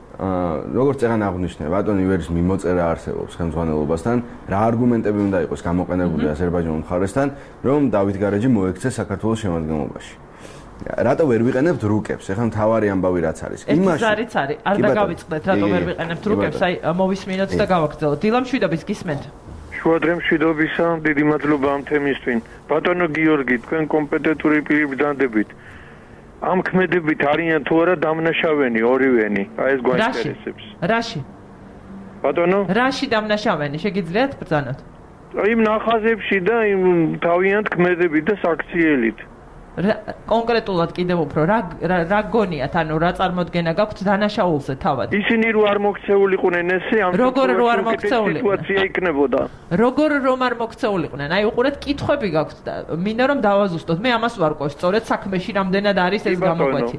როგორც წეგან აღნიშნე ბატონ ივერის მიმოწერა არსებობს ხელმძღვანელობასთან რა არგუმენტები უნდა იყოს გამოყენებული აზერბაიჯანის მხარესთან რომ დავით გარეჯი მოექცეს საქართველოს შემადგენლობაში რატო ვერ ვიყენებთ რუკებს? ეხლა მთავარი ამბავი რაც არის. იმაში არის არის. არ დაგავიწყდეთ რატო ვერ ვიყენებთ რუკებს? აი მოვისმინოთ და გავაგრძელოთ. დილამ შვიდობის გისმენთ. შუადრემ შვიდობისა, დიდი მადლობა ამ თემისთვის. ბატონო გიორგი, თქვენ კომპეტენტური პირი ბრძანდებით. ამ ქმედებით არიან თუ არა დამნაშავენი ორივენი? აი ეს გვაინტერესებს. რაში? ბატონო? რაში დამნაშავენი? შეგიძლიათ ბრძანოთ? იმ ნახაზებში და იმ თავიანთ ქმედებით და საქციელით. კონკრეტულად კიდევ უფრო რა რა გონიათ ანუ რა წარმოდგენა გაქვთ დანაშაულზე თავად ისინი რო არ მოქცეულიყვნენ ესე ამ როგორ რო არ მოქცეულიყვნენ სიტუაცია იქნებოდა როგორ რომ არ მოქცეულიყვნენ აი უყურეთ კითხვები გაქვთ და მინდა რომ დავაზუსტოთ მე ამას ვარკვევ სწორედ საქმეში რამდენად არის ეს გამოკვეთი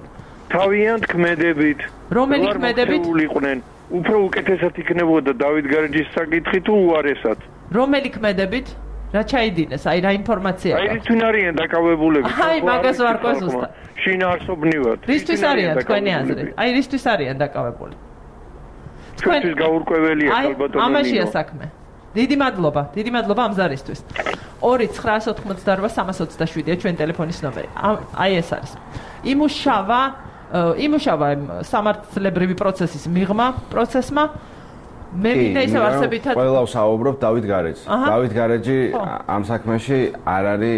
თავიანთ ქმედებით რომელი ქმედებით მოქცეულიყვნენ უფრო უკეთესად იქნებოდა დავით გარეჯის საკითხი თუ უარესად რომელი ქმედებით რა ჩაიდინეს? აი რა ინფორმაცია აქვს? აი რისთვის არიან დაკავებულები? აი მაგას ვარკვევ ზუსტად. შინაარსობრივად. რისთვის არიან თქვენი აზრით? აი რისთვის არიან დაკავებული? თქვენთვის გაურკვეველია ალბათ. აი ამაშია საქმე. დიდი მადლობა. დიდი მადლობა ამ ზარისთვის. ორი ცხრაასი ოთხმოცდაორ სამას ოცდაშვიდია ჩვენ ტელეფონის ნომერი. აი ეს არის. იმუშავა იმუშავა სამართლებრივი პროცესის მიღმა პროცესმა მე მინდა ისევ არსებითად ყველა ვსაუბრობ დავით გარეჯს. დავით გარეჯი ამ საქმეში არ არის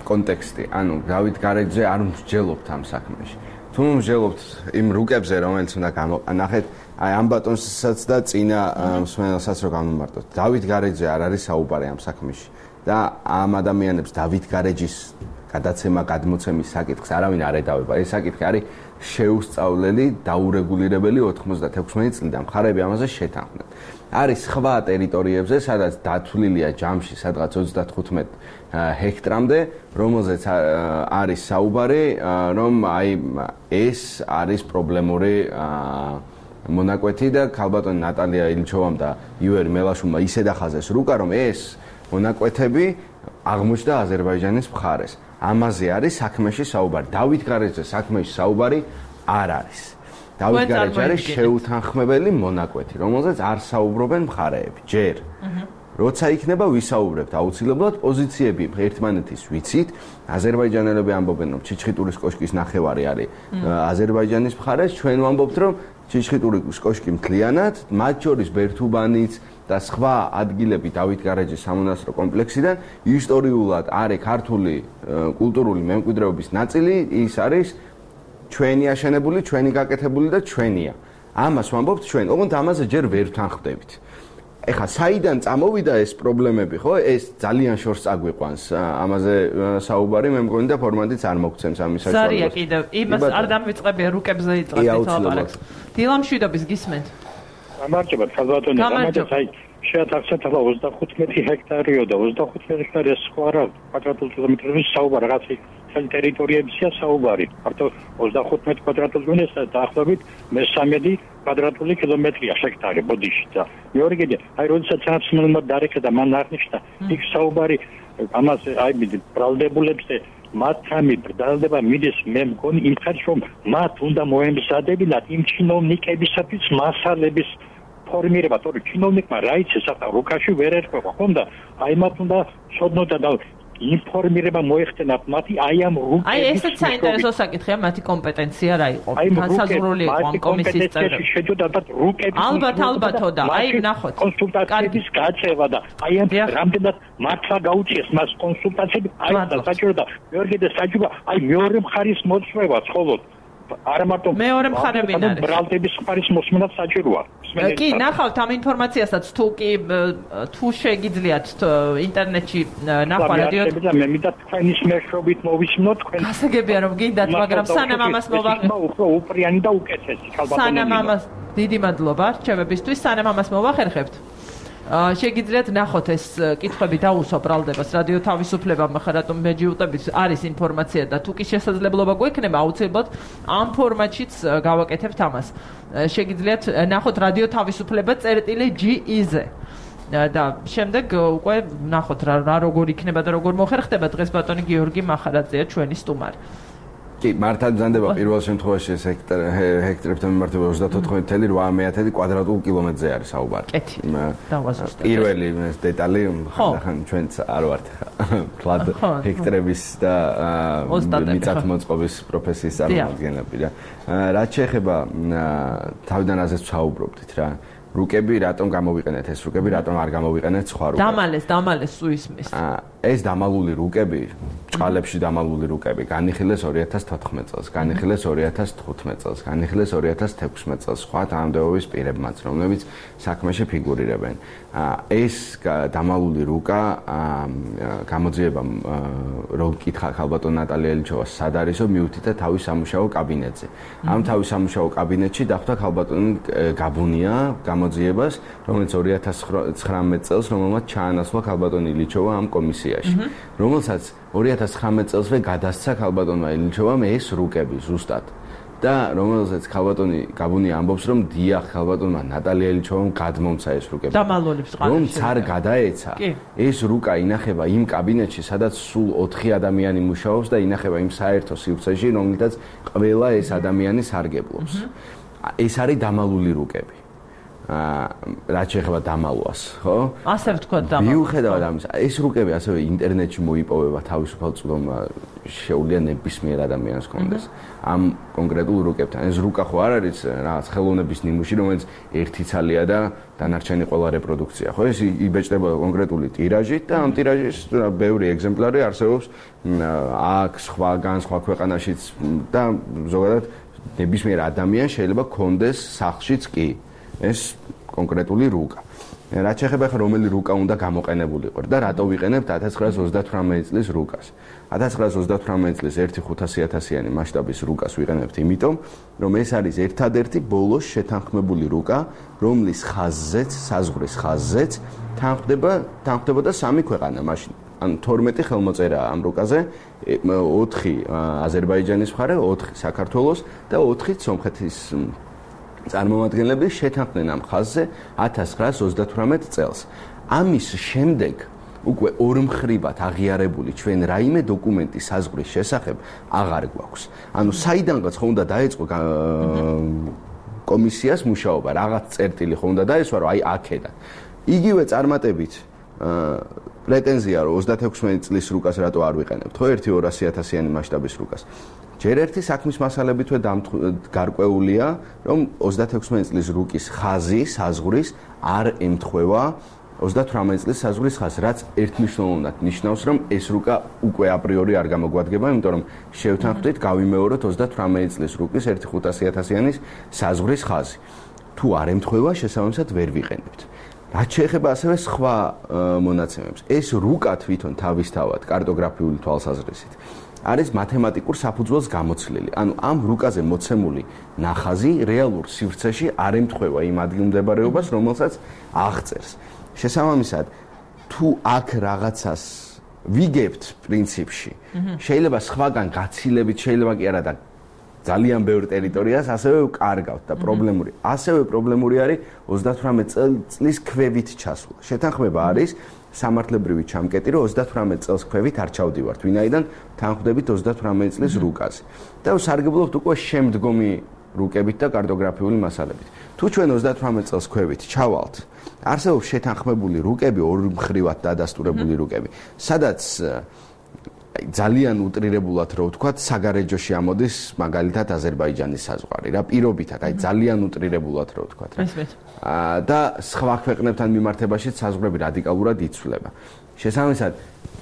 კონტექსტი. ანუ დავით გარეჯზე არ მსჯელობთ ამ საქმეში. თუ მსჯელობთ იმ რუკებზე, რომელიც უნდა გამოყენახეთ, აი ამ ბატონსაც და წინა მსმენელსაც რო გამომარტოთ. დავით გარეჯზე არ არის საუბარი ამ საქმეში და ამ ადამიანებს დავით გარეჯის გადაცემა გადმოცემის საკითხს არავინ არ ედავება. ეს საკითხი არის შეუსწავლელი, დაურეგულირებელი ოთხმოცდაექვსი წლიდან მხარეები ამაზე შეთანხმდნენ. არის სხვა ტერიტორიებზე, სადაც დათვლილია ჯამში სადღაც ოცდათხუთმეტ ჰექტრამდე, რომელზეც არის საუბარი, რომ აი ეს არის პრობლემური მონაკვეთი და ქალბატონი ნატალია ილჩოვამ და ივერი მელაშვილმა ისე დახაზეს რუკა, რომ ეს მონაკვეთები აღმოჩნდა აზერბაიჯანის მხარეს. ამაზე არის საქმეში საუბარი. დავით გარეჯზე საქმეში საუბარი არ არის. დავით გარეჯი არის შეუთანხმებელი მონაკვეთი, რომელზეც არ საუბრობენ მხარეები. ჯერ. როცა იქნება ვისაუბრებთ აუცილებლად პოზიციები ერთმანეთის ვიცით. აზერბაიჯანელები ამბობენ, რომ ჩიჩხიტურის კოშკის ნახევარი არის აზერბაიჯანის მხარეს. ჩვენ ვამბობთ, რომ ჩიჩხიტურის კოშკი მთლიანად, მათ შორის ბერთუბანიც და სხვა ადგილები დავით გარეჯის სამონასტრო კომპლექსიდან ისტორიულად არის ქართული კულტურული მემკვიდრეობის ნაწილი, ის არის ჩვენი აშენებული, ჩვენი გაკეთებული და ჩვენია. ამას ვამბობთ ჩვენ, ოღონდ ამაზე ჯერ ვერ ვთანხმდებით. ეხლა საიდან წამოვიდა ეს პრობლემები, ხო? ეს ძალიან შორს წაგვიყვანს ამაზე საუბარი, მე მგონი და ფორმატიც არ მოგცემს ამის საშუალებას. ზარია კიდევ, იმას არ დამვიწყებია რუკებზე იწყებთ ლაპარაკს. დილამ შვიდობის გისმენთ. გამარჯობა, ხალბატონი, გამარჯობა. აი, შეათახსეთ ახლა ოცდახუთმეტი ჰექტარიო და ოცდახუთმეტი ჰექტარი სხვა რა კვადრატულ კილომეტრების საუბარი, რაღაც ხელ ტერიტორიებია საუბარი. მარტო ოცდახუთმეტი კვადრატული კილომეტრია დაახლოებით მესამედი კვადრატული კილომეტრია ჰექტარი ბოდიში და მეორე კიდე აი როდესაც სამსმენელმა დარეკა და მან აღნიშნა იქ საუბარი ამაზე აი ბრალდებულებზე მათამი ბრალდება მიდის მე მგონი იმ ხალხს რომ მათ უნდა მოემზადებინათ იმ ჩინოვნიკებისათვის მასალების ფორმირება, თორე ჩინოვნიკმა რა იცის ახლა რუკაში ვერ ერკვევა, ხომ და აი მათ უნდა შოდნოდა და ინფორმირება მოეხდენათ მათი აი ამ რუკების. აი ესეც საინტერესო საკითხია, მათი კომპეტენცია რა იყო? განსაზღვრული იყო ამ კომისიის წევრები. შეჯოდა ალბათ რუკების. ალბათ ალბათო და აი ვნახოთ. კონსულტაციების გაწევა და აი ამ რამდენად მართლა გაუწიეს მას კონსულტაციები აი და საჭირო და მეორე და საჭირო აი მეორე მხარის მოწვევა ხოლოდ არა მარტო მეორე მხარე ვინ არის? ბრალდების მხარის მოსმენაც საჭიროა. კი, ნახავთ ამ ინფორმაციასაც თუ კი თუ შეგიძლიათ ინტერნეტში ნახვა რადიო. მე მინდა თქვენის მეშვეობით მოვისმინოთ თქვენ. გასაგებია რომ გინდათ, მაგრამ სანამ ამას მოვახერხებთ. უფრო უპრიანი და უკეთესი ხალბატონი. სანამ ამას დიდი მადლობა რჩევებისთვის, სანამ ამას მოვახერხებთ. შეგიძლიათ ნახოთ ეს კითხვები დაუსვა ბრალდებას რადიო თავისუფლებამ ხა რატომ მეჯიუტებით არის ინფორმაცია და თუ კი შესაძლებლობა გვექნება აუცილებლად ამ ფორმატშიც გავაკეთებთ ამას. შეგიძლიათ ნახოთ რადიო თავისუფლება წერტილი ჯი ი-ზე. და შემდეგ უკვე ნახოთ რა რა როგორ იქნება და როგორ მოხერხდება დღეს ბატონი გიორგი მახარაძეა ჩვენი სტუმარი. კი, მართად ბრძანდება პირველ შემთხვევაში ეს ჰექტარებთან მიმართება ოცდათოთხმეტ ათეული ორმოცდაათი კვადრატულ კილომეტრზე არის საუბარი. კეთი. დავაზუსტებ. პირველი ეს დეტალი ხან ჩვენც არ ვართ ფლად ჰექტარების და მიწათმოწყობის პროფესიის წარმომადგენლები რა. რაც შეეხება თავიდან ასეც ვსაუბრობდით რა. რუკები რატომ გამოვიყენეთ ეს რუკები, რატომ არ გამოვიყენეთ სხვა რუკები? დამალეს, დამალეს სუისმის. ეს დამალული რუკები, წყალებში დამალული რუკები, განიხილეს ორი ათას თოთხმეტ წელს, განიხილეს ორი ათას თხუთმეტ წელს, განიხილეს ორი ათას თექვსმეტ წელს სხვა თანამდებობის პირებმაც, რომლებიც საქმეში ფიგურირებენ. ეს დამალული რუკა გამოძიება რომ კითხა ხალბატონ ნატალია ელჩოვას სად არისო მიუთითა თავის სამუშაო კაბინეტზე. ამ თავის სამუშაო კაბინეტში დახვდა ხალბატონი გაბუნია გამოძიებას, რომელიც ორი ათას ცხრამეტ წელს რომელმაც ჩაანაცვლა ხალბატონი ილიჩოვა ამ კომისიაში, რომელსაც ორი ათას ცხრამეტ წელსვე გადასცა ხალბატონმა ილიჩოვამ ეს რუკები ზუსტად. და რომელსაც ხალბატონი გაბუნია ამბობს რომ დიახ ხალბატონმა ნატალია ილიჩოვამ გადმომცა ეს რუკები. დამალულებს ყალებში. რომ ცარ გადაეცა, ეს რუკა ინახება იმ კაბინეტში, სადაც სულ ოთხი ადამიანი მუშაობს და ინახება იმ საერთო სივრცეში, რომელთაც ყველა ეს ადამიანი სარგებლობს. ეს არის დამალული რუკები. რაც შეეხება დამალვას, ხო? ასე ვთქვა დამალვა. მიუხედავად ამისა, ეს რუკები ასევე ინტერნეტში მოიპოვება თავისუფალ წვდომა შეუძლია ნებისმიერ ადამიანს კონდეს. ამ კონკრეტულ რუკებთან. ეს რუკა ხო არ არის რაღაც ხელოვნების ნიმუში, რომელიც ერთი ცალია და დანარჩენი ყველა რეპროდუქცია, ხო? ეს იბეჭდება კონკრეტული ტირაჟით და ამ ტირაჟის ბევრი ეგზემპლარი არსებობს აქ სხვაგან სხვა ქვეყანაშიც და ზოგადად ნებისმიერ ადამიანს შეიძლება კონდეს სახლშიც კი. ეს კონკრეტული რუკა. რაც შეეხება ხა რომელი რუკა უნდა გამოყენებულიყო და რატო ვიყენებთ ათას ცხრაას ოცდათვრამეტ წლის რუკას. ათას ცხრაას ოცდათვრამეტ წლის ერთი ხუთასი ათასიანი მასშტაბის რუკას ვიყენებთ იმიტომ, რომ ეს არის ერთადერთი ბოლოს შეთანხმებული რუკა, რომლის ხაზზეც, საზღვრის ხაზზეც თანხდება, თანხდებოდა სამი ქვეყანა მაშინ. ან თორმეტი ხელმოწერაა ამ რუკაზე, ოთხი აზერბაიჯანის მხარე, ოთხი საქართველოს და ოთხი სომხეთის წარმომადგენლები შეთანხმდნენ ამ ხაზზე ათას ცხრაას ოცდათვრამეტ წელს. ამის შემდეგ უკვე ორმხრივად აღიარებული ჩვენ რაიმე დოკუმენტი საზღვრის შესახებ აღარ გვაქვს. ანუ საიდანღაც ხო უნდა დაეწყო კომისიას მუშაობა, რაღაც წერტილი ხო უნდა დაესვა, რომ აი აქედან. იგივე წარმატებით პრეტენზია რომ ოცდათექვსმეტ წლის რუკას რატო არ ვიყენებთ, ხო ერთი ორასი ათასიანი მასშტაბის რუკას. ჯერ ერთი საქმის მასალებითვე გარკვეულია, რომ ოცდათექვსმეტ წლის რუკის ხაზი საზღვრის არ ემთხვევა ოცდათვრამეტ წლის საზღვრის ხაზს, რაც ერთმნიშვნელოვნად ნიშნავს, რომ ეს რუკა უკვე აპრიორი არ გამოგვადგება, იმიტომ რომ შევთანხმდით, გავიმეოროთ ოცდათვრამეტ წლის რუკის ერთი ხუთასი ათასიანის საზღვრის ხაზი. თუ არ ემთხვევა, შესაბამისად ვერ ვიყენებთ. რაც შეეხება ასევე სხვა მონაცემებს, ეს რუკა თვითონ თავისთავად კარტოგრაფიული თვალსაზრისით არის მათემატიკურ საფუძველს გამოცლილი. ანუ ამ რუკაზე მოცემული ნახაზი რეალურ სივრცეში არ ემთხვევა იმ ადგილმდებარეობას, რომელსაც აღწერს. შესაბამისად, თუ აქ რაღაცას ვიგებთ პრინციპში, შეიძლება სხვაგან გაცილებით, შეიძლება კი არა და ძალიან ბევრ ტერიტორიას ასევე ვკარგავთ და პრობლემური. ასევე პრობლემური არის ოცდათვრამეტ წლის ქვევით ჩასვლა. შეთანხმება არის სამართლებრივი ჩამკეტი, რომ ოცდათვრამეტ წელს ქვევით არ ჩავდივართ, ვინაიდან თანხმდებით ოცდათვრამეტ წლის რუკაზე. და სარგებლობთ უკვე შემდგომი რუკებით და კარტოგრაფიული მასალებით. თუ ჩვენ ოცდათვრამეტ წელს ქვევით ჩავალთ, არსებობს შეთანხმებული რუკები, ორმხრივად დადასტურებული რუკები, სადაც ძალიან უტრირებულად რო ვთქვათ, საგარეჯოში ამოდის მაგალითად აზერბაიჯანის საზღვარი რა პირობითად, აი ძალიან უტრირებულად რო ვთქვათ რა. და სხვა ქვეყნებთან მიმართებაშიც საზღვრები რადიკალურად იცვლება. შესაბამისად,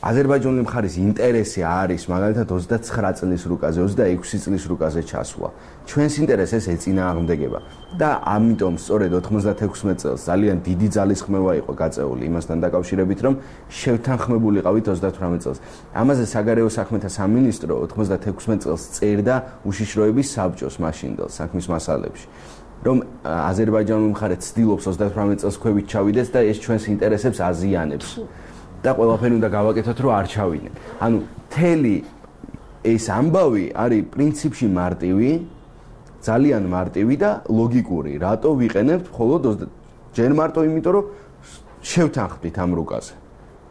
აზერბაიჯანული მხარის ინტერესი არის მაგალითად ოცდაცხრა წლის რუკაზე, ოცდაექვსი წლის რუკაზე ჩასვლა. ჩვენს ინტერესს ეს ეწინააღმდეგება და ამიტომ სწორედ ოთხმოცდათექვსმეტ წელს ძალიან დიდი ძალისხმევა იყო გაწეული იმასთან დაკავშირებით, რომ შევთანხმებულიყავით ოცდათვრამეტ წელს. ამაზე საგარეო საქმეთა სამინისტრო ოთხმოცდათექვსმეტ წელს წერდა უშიშროების საბჭოს მაშინდელ საქმის მასალებში. რომ აზერბაიჯანული მხარე ცდილობს ოცდათვრამეტ წელს ქვევით ჩავიდეს და ეს ჩვენს ინტერესებს აზიანებს. და ყველაფერი უნდა გავაკეთოთ, რომ არ ჩავინე. ანუ თელი ეს ამბავი არის პრინციპში მარტივი, ძალიან მარტივი და ლოგიკური. რატო ვიყენებთ მხოლოდ ჯერ მარტო იმიტომ, რომ შევთანხმდით ამ რუკაზე.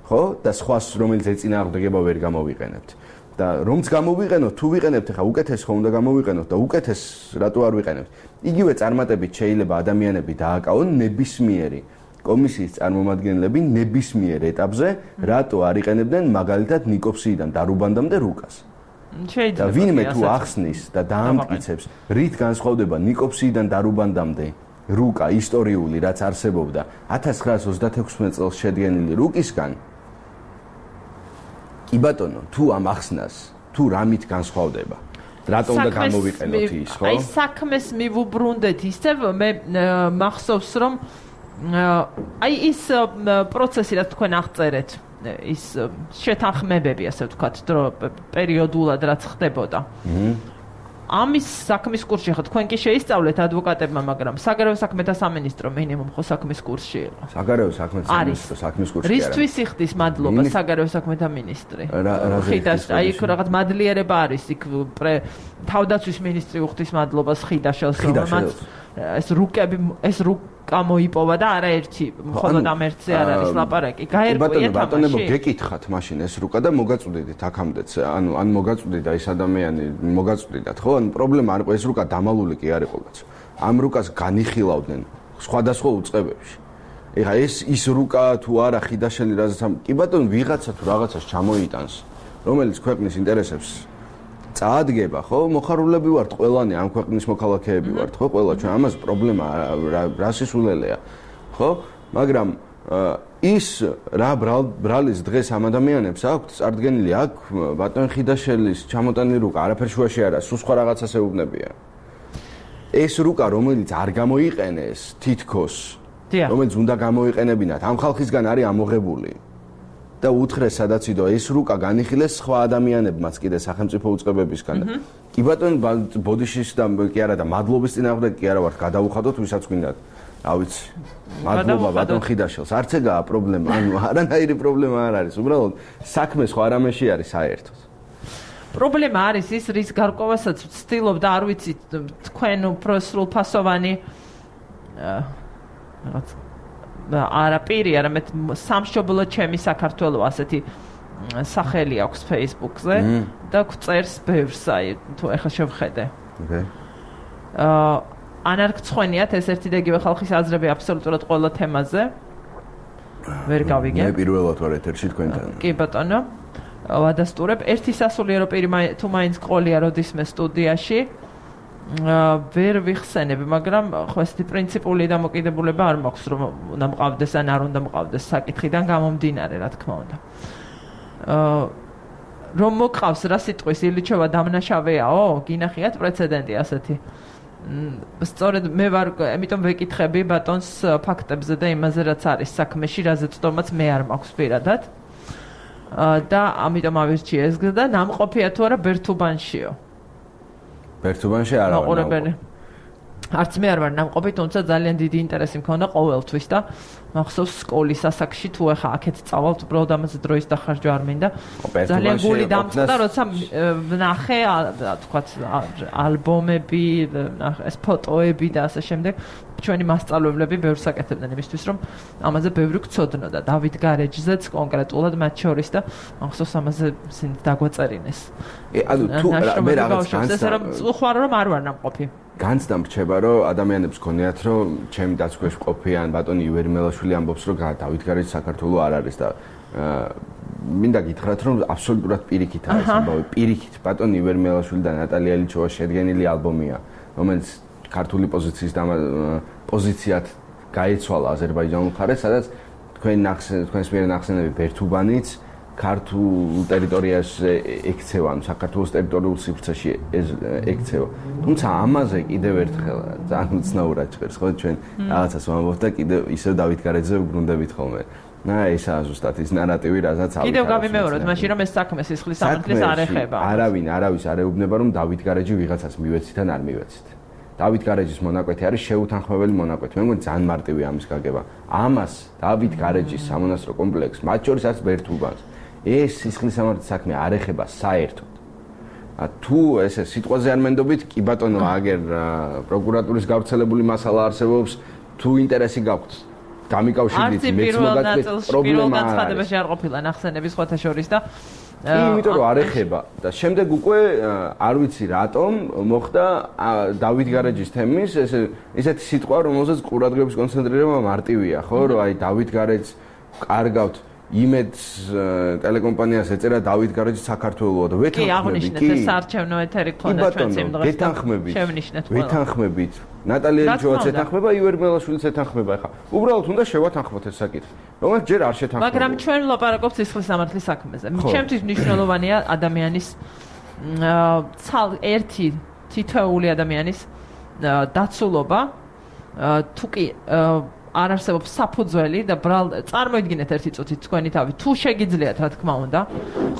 ხო? და სხვას რომელიც ეწინააღმდეგება ვერ გამოვიყენებთ. და რომც გამოვიყენოთ, თუ ვიყენებთ, ხა უკეთეს ხო უნდა გამოვიყენოთ და უკეთეს რატო არ ვიყენებთ? იგივე წარმატებით შეიძლება ადამიანები დააკავონ ნებისმიერი კომისიის წარმომადგენლები ნებისმიერ ეტაპზე რატო არ იყენებდნენ მაგალითად ნიკოფსიიდან დარუბანდამდე რუკას. და ვინმე თუ ახსნის და დაამტკიცებს, რით განსხვავდება ნიკოფსიიდან დარუბანდამდე რუკა ისტორიული, რაც არსებობდა ათას ცხრაას ოცდათექვსმეტ წელს შედგენილი რუკისგან, კი ბატონო, თუ ამ ახსნას, თუ რამით განსხვავდება, რატო უნდა გამოვიყენოთ ის, ხო? აი საქმეს მივუბრუნდეთ ისევ მე მახსოვს რომ აი ის პროცესი რაც თქვენ აღწერეთ ის შეთანხმებები ასე ვთქვათ დრო პერიოდულად რაც ხდებოდა ამის საქმის კურსში ხო თქვენ კი შეისწავლეთ ადვოკატებმა მაგრამ საგარეო საქმეთა სამინისტრო მინიმუმ ხო საქმის კურსში იყო საგარეო საქმეთა სამინისტრო საქმის კურსში არა რისთვის იხდის მადლობა საგარეო საქმეთა მინისტრი ხიდას აი იქ რაღაც მადლიერება არის იქ თავდაცვის მინისტრი უხდის მადლობას ხიდაშელს რომელმაც ეს რუკები ეს რუკა მოიპოვა და არაერთი მხოლოდ ამ ერთზე არ არის ლაპარაკი გაერკვიეთ ბატონებო გეკითხათ მაშინ ეს რუკა და მოგაწვდით აქამდეც ანუ ან მოგაწვდიდა ეს ადამიანი მოგაწვდიდათ ხო ანუ პრობლემა არ იყო ეს რუკა დამალული კი არ იყო კაცო ამ რუკას განიხილავდნენ სხვადასხვა უწყებებში ეხა ეს ის რუკა თუ არა ხიდაშელი რაზეც კი ბატონო ვიღაცა თუ რაღაცას ჩამოიტანს რომელიც ქვეყნის ინტერესებს წაადგება ხო მოხარულები ვართ ყველანი ამ ქვეყნის მოქალაქეები ვართ ხო ყველა ჩვენ ამას პრობლემა რა სისულელეა ხო მაგრამ ის რა ბრალის დღეს ამ ადამიანებს აქვთ წარდგენილი აქ ბატონ ხიდაშელის ჩამოტანილი რუკა არაფერ შუაში არა სულ სხვა რაღაცას ეუბნებიან ეს რუკა რომელიც არ გამოიყენეს თითქოს რომელიც უნდა გამოიყენებინათ ამ ხალხისგან არის ამოღებული და უთხრეს სადაც იდო ეს რუკა განიხილეს სხვა ადამიანებმაც კიდე სახელმწიფო უწყებებისგან. კი ბატონო ბოდიშის და კი არა და მადლობის წინააღმდეგ კი არა ვარ გადაუხადოთ ვისაც გვინდათ. რა ვიცი. მადლობა ბატონ ხიდაშელს. არც ეგაა პრობლემა. ანუ არანაირი პრობლემა არ არის. უბრალოდ საქმე სხვა რამეში არის საერთოდ. პრობლემა არის ის რის გარკვევასაც ვცდილობ და არ ვიცი თქვენ უფრო სრულფასოვანი რაღაც არა პირი, არამედ სამშობლო ჩემი საქართველო ასეთი სახელი აქვს Facebook-ზე და გვწერს ბევრს, აი თუ ეხლა შევხედე. ოკეი. აა ან არ გცხვენიათ ეს ერთი და იგივე ხალხის აზრები აბსოლუტურად ყველა თემაზე. ვერ გავიგე. მე პირველად ვარ ეთერში თქვენთან. კი ბატონო. ვადასტურებ ერთი სასულიერო პირი თუ მაინც ყოლია როდისმე სტუდიაში. ვერ ვიხსენებ, მაგრამ ხო ესეთი პრინციპული დამოკიდებულება არ მაქვს, რომ უნდა მყავდეს ან არ უნდა მყავდეს საკითხიდან გამომდინარე, რა თქმა უნდა. აა რომ მოყავს რა სიტყვის ილიჩევა დამნაშავეაო? გინახიათ პრეცედენტი ასეთი. სწორედ მე ვარ, ამიტომ ვეკითხები ბატონს ფაქტებზე და იმაზე რაც არის საქმეში, რაზეც თომაც მე არ მაქვს პირადად. და ამიტომ ავირჩიე ეს და ნამყოფია თუ არა ბერთუბანშიო. ბერთუბანში არა ვარ. არც მე არ ვარ ნამყოფი, თუმცა ძალიან დიდი ინტერესი მქონდა ყოველთვის და მახსოვს სკოლის ასაკში თუ ახლა აქეთ წავალთ, უბრალოდ ამაზე დროის დახარჯვა არ მინდა. ძალიან გული დამწყდა, როცა ნახე, თქვათ, ალბომები, ეს ფოტოები და ასე შემდეგ. ჩვენი მასწავლებლები ბევრს აკეთებდნენ იმისთვის, რომ ამაზე ბევრი გწოდნო და დავით გარეჯზეც კონკრეტულად მათ შორის და მახსოვს ამაზე ისინი დაგვაწერინეს. ანუ თუ მე რაღაც განსა რომ უხარ რომ არ ვარ ნამყოფი. განცდა მრჩება რომ ადამიანებს გქონიათ რომ ჩემი დაცქვეშ ყოფიან ბატონი ივერიმელაშვილი ამბობს რომ დავით გარეჯი საქართველოს არ არის და მინდა გითხრათ, რომ აბსოლუტურად პირიქით არის ამბავი, პირიქით. ბატონი ივერმელაშვილი და ნატალია ლიჩოვა შედგენილი ალბომია, რომელიც ქართული პოზიციის პოზიციად გაეცვალა აზერბაიჯანულ მხარეს, სადაც თქვენ თქვენს მიერ ნახსენები ბერთუბანიც ქართულ ტერიტორიაზე ექცევა, საქართველოს ტერიტორიულ სივრცეში ექცევა. თუმცა ამაზე კიდევ ერთხელ ძალიან უცნაურად ჭირს, ხო, ჩვენ რაღაცას ვამბობთ და კიდევ ისევ დავით გარეჯეზე ვბრუნდებით ხოლმე. და ესაა ზუსტად ის ნარატივი, რასაც ავიღეთ. კიდევ გავიმეოროთ, მაშინ რომ ეს საქმე სისხლის სამართლის არ ეხება. არავინ, არავის არ ეუბნება, რომ დავით გარეჯი ვიღაცას მივეცით ან არ მივეცით. დავით გარეჯის მონაკვეთი არის შეუთანხმებელი მონაკვეთი. მე მგონი ძალიან მარტივია ამის გაგება. ამას დავით გარეჯის სამონასტრო კომპლექსს, მათ შორის არც ბერთუბანს, ეს სისხლის სამართლის საქმე არ ეხება საერთოდ. თუ ესე სიტყვაზე არ მენდობით, კი ბატონო, აგერ პროკურატურის გავრცელებული მასალა არსებობს, თუ ინტერესი გაქვთ, გამიკავშირდით მეც მოგაწყვეტ პრობლემა არ განცხადებაში არ ყოფილა ნახსენები სხვათა შორის და კი, იმიტომ რომ არ ეხება და შემდეგ უკვე არ ვიცი რატომ მოხდა დავით გარეჯის თემის ესე ისეთი სიტყვა, რომელზეც ყურადღების კონცენტრირება მარტივია, ხო, რომ აი დავით გარეჯს კარგავთ იმედს ტელეკომპანიას ეწერა დავით გარეჯი საქართველოა და ვეთანხმები. კი, აღნიშნეთ ეს საარჩევნო ეთერი გქონდა ჩვენც იმ დღეს. ვეთანხმებით. ვეთანხმებით. ნატალია ლიჩოვაც ეთანხმება, ივერმელაშვილიც ეთანხმება. ახლა უბრალოდ უნდა შევათანხმოთ ეს საკითხი. რომელიც ჯერ არ შეთანხმება. მაგრამ ჩვენ ვლაპარაკობთ სისხლის სამართლის საქმეზე. ჩემთვის მნიშვნელოვანია ადამიანის ცალ ერთი თითოეული ადამიანის დაცულობა. თუ კი არ არსებობს საფუძველი და წარმოიდგინეთ ერთი წუთით თქვენი თავი, თუ შეგიძლიათ, რა თქმა უნდა,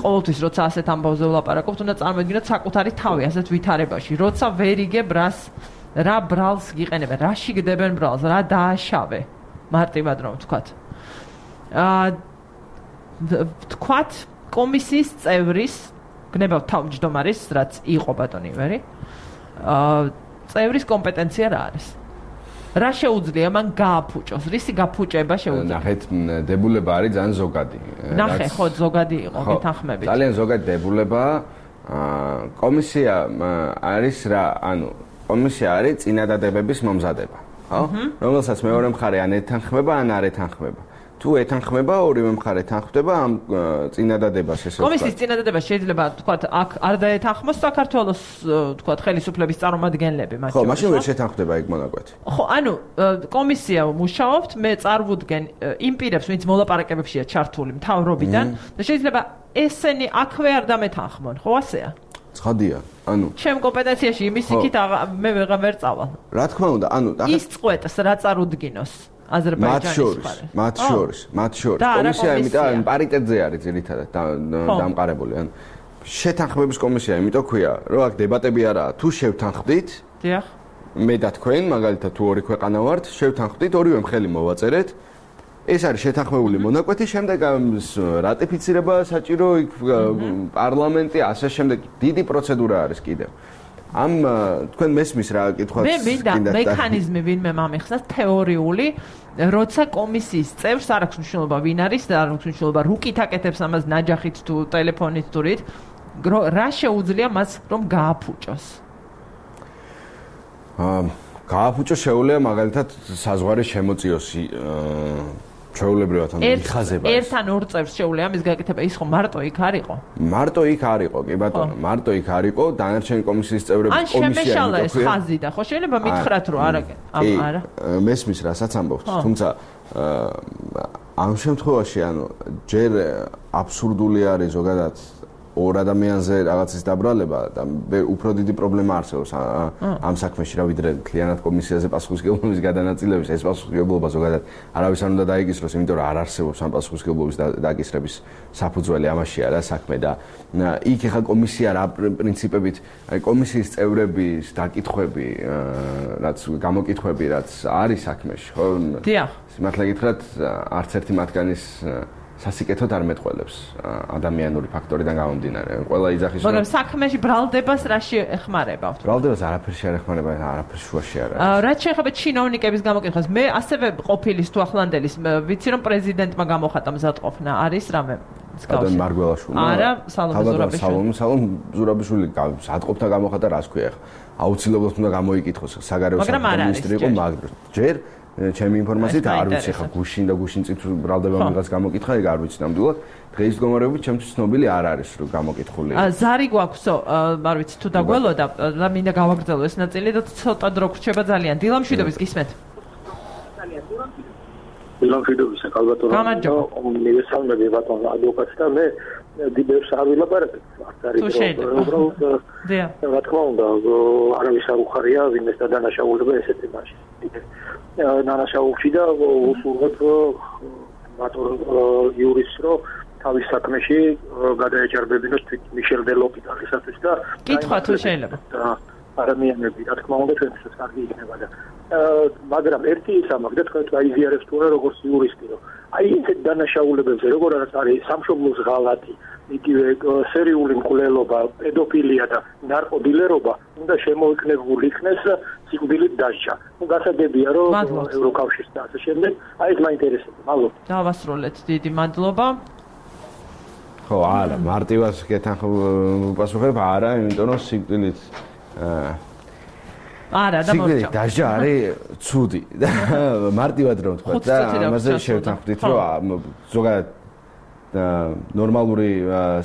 ყოველთვის როცა ასეთ ამბავზე ვლაპარაკობთ, უნდა წარმოიდგინოთ საკუთარი თავი ასეთ ვითარებაში, როცა ვერ იგებ რას რა ბრალს გიყენებენ, რა შიგდებენ ბრალს, რა დააშავე, მარტივად რომ ვთქვათ. აა ვთქვათ კომისიის წევრის, გნებავ თავმჯდომარის, რაც იყო ბატონი ივერი, აა წევრის კომპეტენცია რა არის? რა შეუძლია მან გააფუჭოს? რისი გაფუჭება შეუძლია? ნახეთ, დებულება არის ძალიან ზოგადი. ნახე, ხო, ზოგადი იყო გეთანხმებით. ძალიან ზოგადი დებულება. კომისია არის რა, ანუ კომისია არის წინადადებების მომზადება, ხო? რომელსაც მეორე მხარე ან ეთანხმება, ან არ ეთანხმება. თუ ეთანხმება, ორივე მხარე თანხმდება ამ წინადადებას, ესე ვთქვათ. კომისიის წინადადება შეიძლება ვთქვათ, აქ არ დაეთანხმოს საქართველოს ვთქვათ ხელისუფლების წარმომადგენლები, მათ ხო, მაშინ ვერ შეთანხმდება ეგ მონაკვეთი. ხო, ანუ კომისია მუშაობთ, მე წარვუდგენ იმ პირებს, ვინც მოლაპარაკებებშია ჩართული მთავრობიდან და შეიძლება ესენი აქვე არ დამეთანხმონ, ხო ასეა? ცხადია, ანუ ჩემ კომპეტენციაში იმის იქით მე ვეღარ ვერ წავალ. რა თქმა უნდა, ანუ ის წყვეტს რა წარუდგინოს. აზერბაიჯანის მხარეს. მათ შორის, მათ შორის. კომისია იმიტომ პარიტეტზე არის ძირითადად დამყარებული. ან შეთანხმების კომისია იმიტომ ქვია, რომ აქ დებატები არაა. თუ შევთანხმდით, დიახ. მე და თქვენ, მაგალითად თუ ორი ქვეყანა ვართ, შევთანხმდით, ორივე მხელი მოვაწერეთ. ეს არის შეთანხმებული მონაკვეთი, შემდეგ რატიფიცირება საჭირო, იქ პარლამენტი, ასე შემდეგ. დიდი პროცედურა არის კიდევ. ამ თქვენ მესმის რა კითხვაც მე მინდა მექანიზმი ვინმე მომიხსნას თეორიული, როცა კომისიის წევრს არ აქვს მნიშვნელობა ვინ არის და არ აქვს მნიშვნელობა რუკით აკეთებს ამას ნაჯახით თუ ტელეფონით თუ რით, რა შეუძლია მას რომ გააფუჭოს? აა გააფუჭოს შეუძლია მაგალითად საზღვარი შემოწიოს ჩვეულებრივად ან მიხაზება. ერთთან ორ წევრს შეუძლია ამის გაკეთება, ის ხო მარტო იქ არ იყო? მარტო იქ არ იყო, კი ბატონო, მარტო იქ არ იყო, დანარჩენი კომისიის წევრები კომისია იყო. ან შემეშალა ეს ხაზი და ხო შეიძლება მითხრათ რომ არა, არა. მესმის რასაც ამბობთ, თუმცა ამ შემთხვევაში ანუ ჯერ აბსურდული არის ზოგადად ორ ადამიანზე რაღაცის დაბრალება და უფრო დიდი პრობლემა არსებობს ამ საქმეში, რა ვიდრე მთლიანად კომისიაზე პასუხისმგებლობის გადანაწილების. ეს პასუხისმგებლობა ზოგადად არავის არ უნდა დაიკისროს, იმიტომ რომ არ არსებობს ამ პასუხისმგებლობის დაკისრების საფუძველი, ამაშია რა საქმე და იქ ახლა კომისია რა პრინციპებით, აი კომისიის წევრების დაკითხვები, რაც გამოკითხვები, რაც არის საქმეში, ხო? დიახ. სიმართლე გითხრათ, არც ერთი მათგანის სასიკეთოდ არ მეტყველებს ადამიანური ფაქტორიდან გამომდინარე. ყველა იძახის მაგრამ საქმეში ბრალდებას რაში ეხმარება? ბრალდებას არაფერში არ ეხმარება, არაფერს შუაში არ არის. რაც შეეხება ჩინოვნიკების გამოკითხვას, მე ასევე ყოფილის თუ ახლანდელის ვიცი რომ პრეზიდენტმა გამოხატა მზადყოფნა, არის რამე მსგავსი? მარგველაშვილი. არა, სალომე ზურაბიშვილი. სალომე სალომე ზურაბიშვილი მზადყოფნა გამოხატა, რას ქვია ახლა? აუცილებლად უნდა გამოიკითხოს საგარეო საქმეთა მინისტრი იყო, მაგრამ ჯერ ჩემი ინფორმაციით არ ვიცი ხა გუშინ და გუშინ წით ბრალდება მიღაც გამოკითხა, ეგ არ ვიცი ნამდვილად. დღეის მდგომარეობით ჩემთვის ცნობილი არ არის რომ გამოკითხული. ზარი გვაქვსო, არ ვიცი თუ დაგველოდა და მინდა გავაგრძელო ეს ნაწილი და ცოტა დრო გრჩება ძალიან. დილამშვიდობის გისმენთ. დილამშვიდობის კალბატონო. მივესალმები ბატონო ადვოკატს და მე დიდებს არ ვილაპარაკებ. არ არის რომ უბრალოდ რა თქმა უნდა არავის არ უხარია ვინმეს და დანაშაულება ესეთი მასში. დანაშაულში და უსურვებ ბატონ იურის რო თავის საქმეში გადაეჭარბებინოს თვით მიშელ დე ლოპიტალისათვის და კითხვა თუ შეიძლება. ადამიანები რა თქმა უნდა ჩვენთვის კარგი იქნება და მაგრამ ერთი ის ამაგდა თქვენ გაიზიარებს თუ არა როგორც იურისტი რომ აი ეს დანაშაულებებზე როგორ არის სამშობლოს ღალატი იგივე სერიული მკვლელობა, პედოფილია და ნარკოდილერობა უნდა შემოიქნებულ იქნეს სიკვდილით დასჯა. ნუ გასაგებია რომ ევროკავშირს და ასე შემდეგ, აი ეს მაინტერესებს. მადლობა. დავასრულეთ, დიდი მადლობა. ხო, არა, მარტივად გეთანხმ პასუხებ, არა, იმიტომ რომ სიკვდილით არა, და მორჩა. სიკვდილით დასჯა არის ცუდი. მარტივად რომ თქვა და ამაზე შევთანხმდით, რომ ზოგადად ნორმალური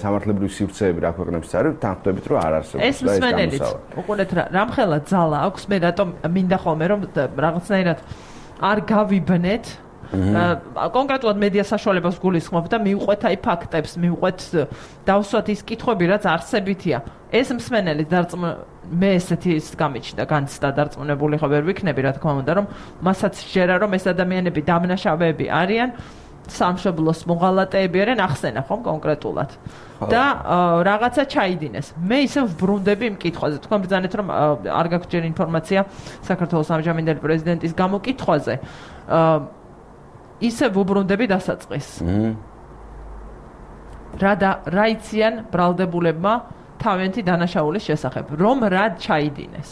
სამართლებრივი სივრცეები რა ქვეყნებს არის, თანხმდებით რომ არ არსებობს და ეს მსმენელიც. უყურეთ რა, რამხელა ძალა აქვს მე რატომ მინდა ხოლმე რომ რაღაცნაირად არ გავიბნეთ. კონკრეტულად მედია საშუალებას გულისხმობ და მივყვეთ აი ფაქტებს, მივყვეთ დავსვათ ის კითხვები, რაც არსებითია. ეს მსმენელი დარწმუნ მე ესეთი ის გამიჩნდა, განცდა დარწმუნებული ხო ვერ ვიქნები, რა თქმა უნდა, რომ მასაც შეერა რომ ეს ადამიანები დამნაშავეები არიან. სამშობლოს მოღალატეები არიან ახსენა ხომ კონკრეტულად და რაღაცა ჩაიდინეს. მე ისე ვბრუნდები იმ კითხვაზე. თქვენ ბრძანეთ რომ არ გაქვთ ჯერ ინფორმაცია საქართველოს ამჟამინდელი პრეზიდენტის გამოკითხვაზე. ისე ვუბრუნდები დასაწყისს. რა და რა იციან ბრალდებულებმა თავიანთი დანაშაულის შესახებ, რომ რა ჩაიდინეს.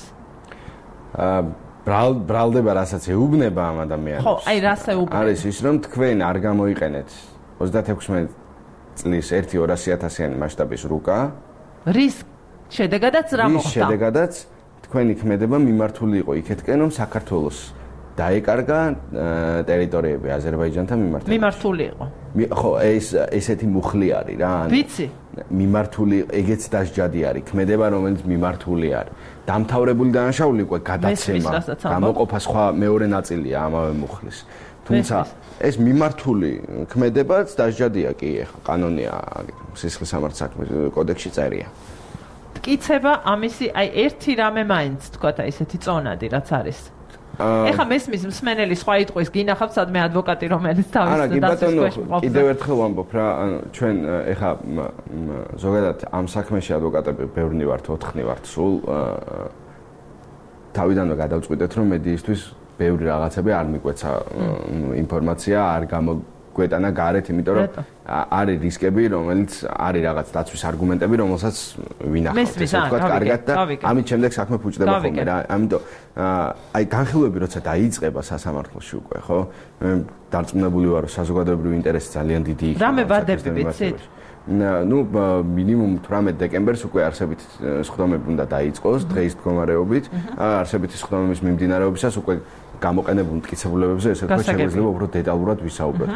ბრალ ბრალდება რასაც ეუბნება ამ ადამიანს. ხო, აი რას ეუბნება? არის ის რომ თქვენ არ გამოიყენეთ ოცდათექვსმეტ წლის ერთი ორასი ათასიანი მასშტაბის რუკა. რის შედეგადაც რა მოხდა? რის შედეგადაც თქვენი ქმედება მიმართული იყო იქეთკენ რომ საქართველოს დაეკარგა ტერიტორიები აზერბაიჯანთან მიმართებით. მიმართული იყო. ხო, ეს ესეთი მუხლი არის რა. ვიცი. მიმართული ეგეც დასჯადი არის, ქმედება რომელიც მიმართული არის. დამთავრებული დანაშაული უკვე გადაცემა, გამოყოფა სხვა მეორე ნაწილია ამავე მუხლის. თუმცა ეს მიმართული ქმედებაც დასჯადია კი, ეხა კანონია სისხლის სამართლის საქმის კოდექსში წერია. მტკიცება ამისი, აი ერთი რამე მაინც თქვათ აი ესეთი წონადი რაც არის. ეხა მესმის მსმენელი სხვა იტყვის გინახავთ სადმე ადვოკატი რომელიც თავის დასაწყისში ყოფს. კიდევ ერთხელ ვამბობ რა, ჩვენ ეხა ზოგადად ამ საქმეში ადვოკატები ბევრნი ვართ, ოთხნი ვართ სულ. თავიდანვე გადავწყვიტეთ რომ მედიისთვის ბევრი რაღაცები არ მიგვეცა ინფორმაცია, არ გამოგვეტანა გარეთ, იმიტომ რომ არის რისკები, რომელიც არის რაღაც დაცვის არგუმენტები, რომელსაც ვინახავთ, ესე ვთქვათ, კარგად და ამით შემდეგ საქმე ფუჭდება ხოლმე რა. ამიტომ აი განხილვები როცა დაიწყება სასამართლოში უკვე, ხო? მე დარწმუნებული ვარ, რომ საზოგადოებრივი ინტერესი ძალიან დიდი იქნება. რამე ვადები ვიცით? ну минимум თვრამეტ დეკემბერს უკვე არსებითი სხდომები უნდა დაიწყოს დღეის მდგომარეობით. არსებითი სხდომების მიმდინარეობისას უკვე გამოყენებულ მტკიცებულებებზე ესე ვთქვათ შეგვიძლია უფრო დეტალურად ვისაუბროთ.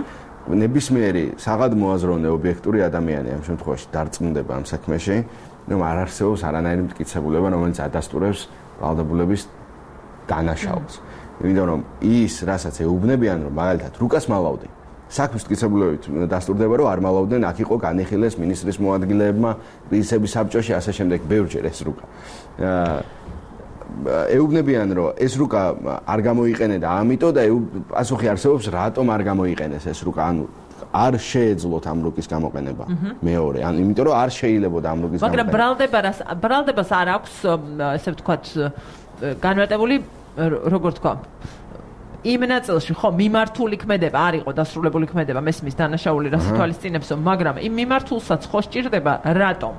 ნებისმიერი საღად მოაზროვნე ობიექტური ადამიანი ამ შემთხვევაში დარწმუნდება ამ საქმეში, ну არ არსებობს არანაირი მტკიცებულება, რომელიც ადასტურებს ვალდებულების დანაშაულს. იმიტომ რომ ის, რასაც ეუბნებიან, რომ მაგალითად რუკას მალავდნენ, საქმის მტკიცებულებით დასტურდება, რომ არ მალავდნენ, აქ იყო განიხილეს მინისტრის მოადგილეებმა, პრინციპის საბჭოში, ასე შემდეგ, ბევრჯერ ეს რუკა. ეუბნებიან, რომ ეს რუკა არ გამოიყენე და ამიტომ და პასუხი არსებობს, რატომ არ გამოიყენეს ეს რუკა, ანუ არ შეეძლოთ ამ რუკის გამოყენება. მეორე, ან იმიტომ რომ არ შეიძლებოდა ამ რუკის გამოყენება. მაგრამ ბრალდებას ბრალდებას არ აქვს, ესე ვთქვათ, განმარტებული, როგორ თქვა, იმ ნაწილში ხო მიმართული ქმედება არ იყო დასრულებული ქმედება მესმის დანაშაული რას ითვალისწინებსო, მაგრამ იმ მიმართულსაც ხო სჭირდება, რატომ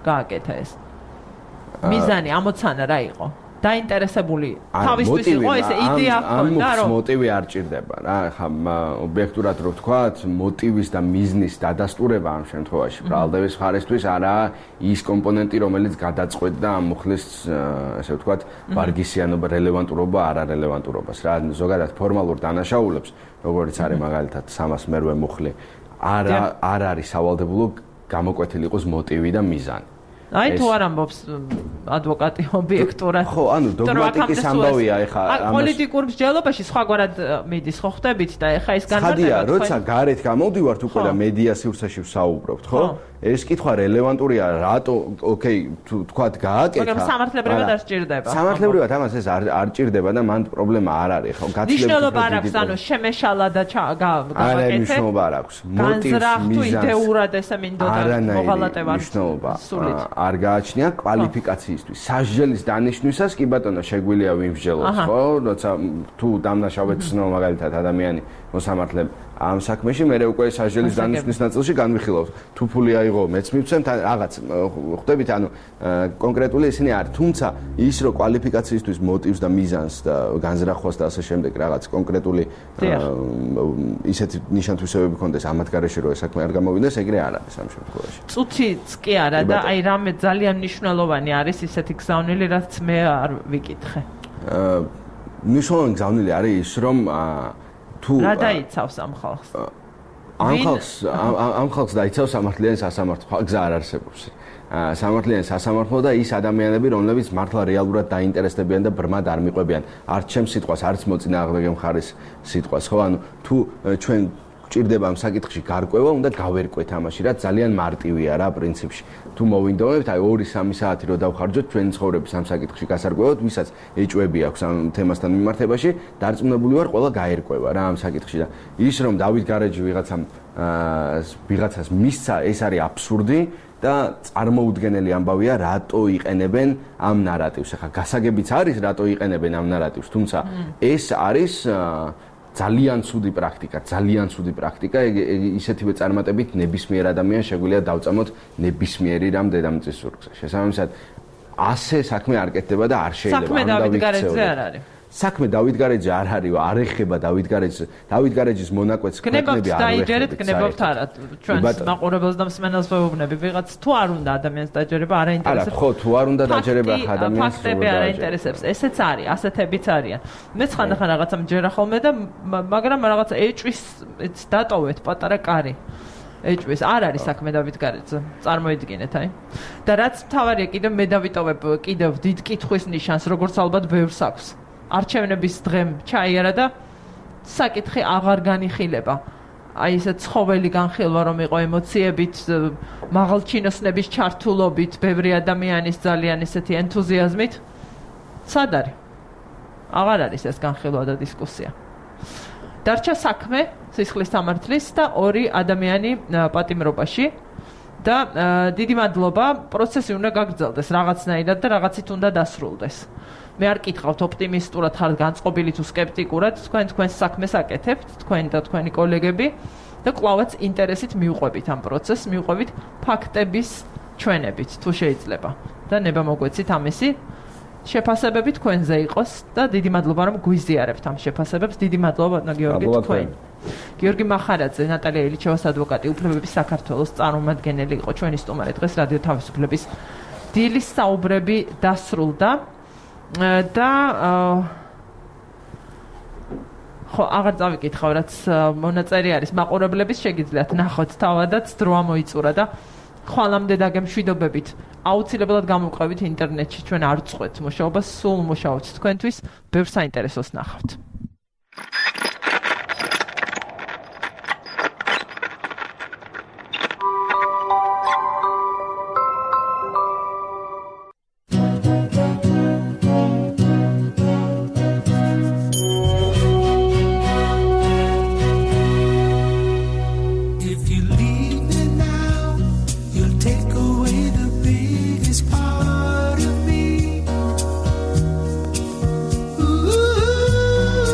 გააკეთა ეს? მიზანი, ამოცანა რა იყო? დაინტერესებული თავისთვის იყო ესე იდეა ჰქონდა რომ მოტივი არ ჭირდება რა ხა ობიექტურად რო ვთქვათ მოტივის და მიზნის დადასტურება ამ შემთხვევაში ბრალდების მხარესთვის არაა ის კომპონენტი რომელიც გადაწყვეტდა ამ მუხლის ესე ვთქვათ ვარგისიანობა რელევანტურობა არარელევანტურობას რა ზოგადად ფორმალურ დანაშაულებს როგორც არის მაგალითად სამას მერვე მუხლი არ არ არის სავალდებულო გამოკვეთილი იყოს მოტივი და მიზანი აი თუ არ ამბობს ადვოკატი ობიექტურად ხო ანუ დოგმატიკის ამბავია ეხა ამას პოლიტიკურ მსჯელობაში სხვაგვარად მიდის ხო ხდებით და ეხა ის განმარტება ხადია როცა გარეთ გამოვდივართ უკვე და მედია სივრცეში ვსაუბრობთ ხო ეს კითხვა რელევანტურია რატო ოკეი თუ თქვათ გააკეთა მაგრამ სამართლებრივად არ სჭირდება სამართლებრივად ამას ეს არ არ ჭირდება და მან პრობლემა არ არის ხო გაცილებით ნიშნულობა არ აქვს ანუ შემეშალა და გავაკეთე არა ნიშნულობა არ აქვს მოტივს მიზანს იდეურად ესე მინდოდა მოღალატება ნიშნულობა არ გააჩნია კვალიფიკაციისთვის სასჯელის დანიშვნისას კი ბატონო შეგვიძლია ვიმსჯელოთ ხო როცა თუ დამნაშავედ ცნო მაგალითად ადამიანი მოსამართლე ამ საქმეში მე უკვე სასჯელის დანიშვნის ნაწილში განვიხილავთ თუ ფული აიღო მეც მივცემთ რაღაც ხვდებით ანუ კონკრეტული ისინი არ თუმცა ის რო კვალიფიკაციისთვის მოტივს და მიზანს და განზრახვას და ასე შემდეგ რაღაც კონკრეტული ისეთი ნიშან-თვისებები ქონდეს ამათ გარეშე რო ეს საქმე არ გამოვიდეს ეგრე არ არის ამ შემთხვევაში წუთიც კი არა და აი რამე ძალიან მნიშვნელოვანი არის ისეთი გზავნილი რაც მე არ ვიკითხე მნიშვნელოვანი გზავნილი არის ის რომ თუ რა დაიცავს ამ ხალხს? ამ ხალხს ამ ხალხს დაიცავს სამართლიანი სასამართლო გზა არ არსებობს. სამართლიანი სასამართლო და ის ადამიანები, რომლებიც მართლა რეალურად დაინტერესდებიან და ბრმად არ მიყვებიან არც ჩემს სიტყვას, არც მოწინააღმდეგე მხარის სიტყვას, ხო? ანუ თუ ჩვენ ჭირდება ამ საკითხში გარკვევა, უნდა გავერკვეთ ამაში, რაც ძალიან მარტივია რა პრინციპში. თუ მოვინდომებთ, აი ორი სამი საათი რო დავხარჯოთ ჩვენი ცხოვრების ამ საკითხში გასარკვევად, ვისაც ეჭვები აქვს ამ თემასთან მიმართებაში, დარწმუნებული ვარ, ყველა გაერკვევა რა ამ საკითხში და ის რომ დავით გარეჯი ვიღაცამ ვიღაცას მისცა, ეს არის აბსურდი და წარმოუდგენელი ამბავია, რატო იყენებენ ამ ნარატივს. ახლა გასაგებიც არის, რატო იყენებენ ამ ნარატივს, თუმცა ეს არის ძალიან ცუდი პრაქტიკა, ძალიან ცუდი პრაქტიკა, ისეთივე წარმატებით ნებისმიერ ადამიანს შეგვიძლია დავწამოთ ნებისმიერი რამ დედამიწის ზურგზე. შესაბამისად, ასე საქმე არ კეთდება და არ შეიძლება ამ დავით გარეჯზე არ არის. საქმე დავით გარეჯზე არ არის, არ ეხება დავით გარეჯზე. დავით გარეჯის მონაკვეთს ქვეყნები არ დაიჯერეთ, გნებობთ არა. ჩვენს მაყურებელს და მსმენელს ვეუბნები, ვიღაც თუ არ უნდა ადამიანს დაჯერება, არ აინტერესებს. არა, ხო, თუ არ უნდა დაჯერება ადამიანს, ფაქტები არ აინტერესებს. ესეც არის, ასეთებიც არიან. მეც ხანდახან რაღაცა მჯერა ხოლმე და მაგრამ რაღაცა ეჭვის დატოვეთ პატარა კარი. ეჭვის არ არის საქმე დავით გარეჯზე. წარმოიდგინეთ, აი. და რაც მთავარია, კიდევ მე დავიტოვებ კიდევ დიდ კითხვის ნიშანს, როგორც ალბათ ბევრს აქვს. არჩევნების დღემ ჩაიარა და საკითხი აღარ განიხილება. აი ესე ცხოველი განხილვა რომ იყო ემოციებით, მაღალჩინოსნების ჩართულობით, ბევრი ადამიანის ძალიან ესეთი ენთუზიაზმით. სად არის? აღარ არის ეს განხილვა და დისკუსია. დარჩა საქმე სისხლის სამართლის და ორი ადამიანი პატიმრობაში და დიდი მადლობა, პროცესი უნდა გაგრძელდეს რაღაცნაირად და რაღაცით უნდა დასრულდეს. მე არ კითხავთ ოპტიმისტურად ხართ განწყობილი თუ სკეპტიკურად, თქვენ თქვენს საქმეს აკეთებთ, თქვენ და თქვენი კოლეგები და კვლავაც ინტერესით მიუყვებით ამ პროცესს, მიუყვებით ფაქტების ჩვენებით, თუ შეიძლება. და ნება მოგვეცით ამისი შეფასებები თქვენზე იყოს და დიდი მადლობა რომ გვიზიარებთ ამ შეფასებებს. დიდი მადლობა ბატონო გიორგი თქვენ. გიორგი მახარაძე, ნატალია ილიჩევას ადვოკატი, უფლებების საქართველოს წარმომადგენელი იყო ჩვენი სტუმარი დღეს რადიო თავისუფლების დილის საუბრები დასრულდა. და ხო აღარ წავიკითხავ რაც მონაწერი არის მაყურებლების შეგიძლიათ ნახოთ თავადაც დრო ამოიწურა და ხვალამდე დაგემშვიდობებით აუცილებლად გამოვყევით ინტერნეტში ჩვენ არ წყვეთ მუშაობას სულ მუშაობთ თქვენთვის ბევრ საინტერესოს ნახავთ Ooh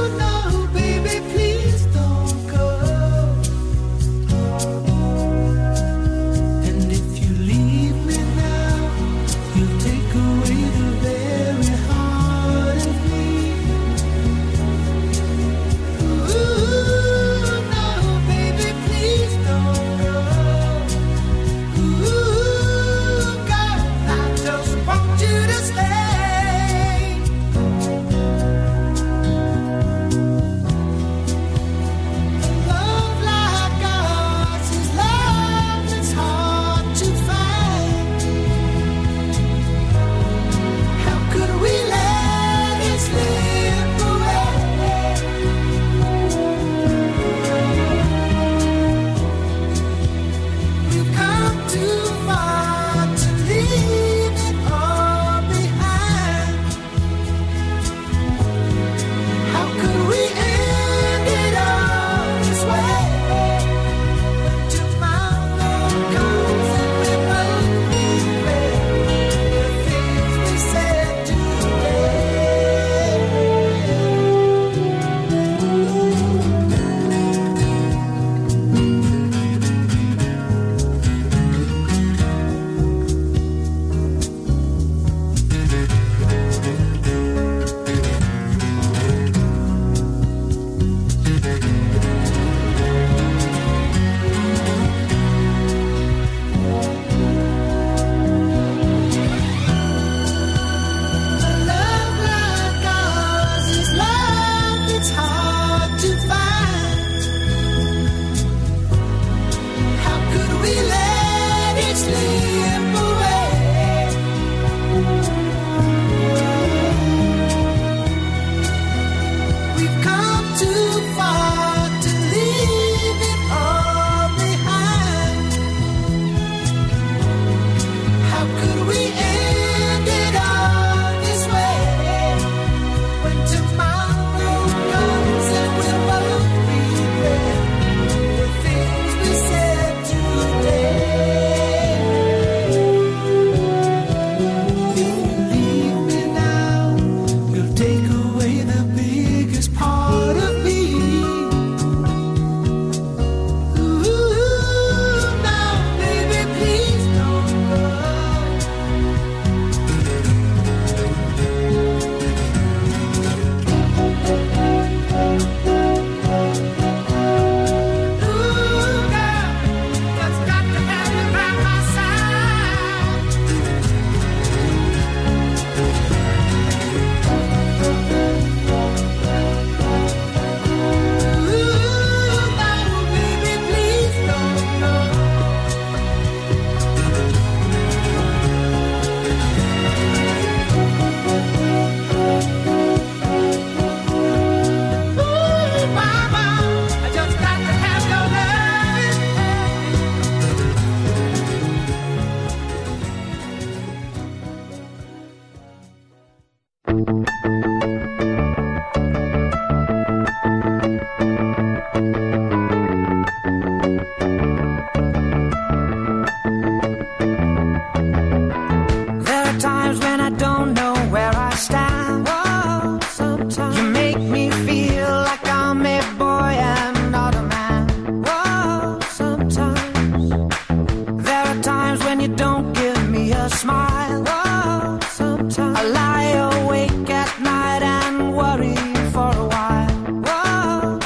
a smile. Oh, sometimes I lie awake at night and worry for a while. Whoa,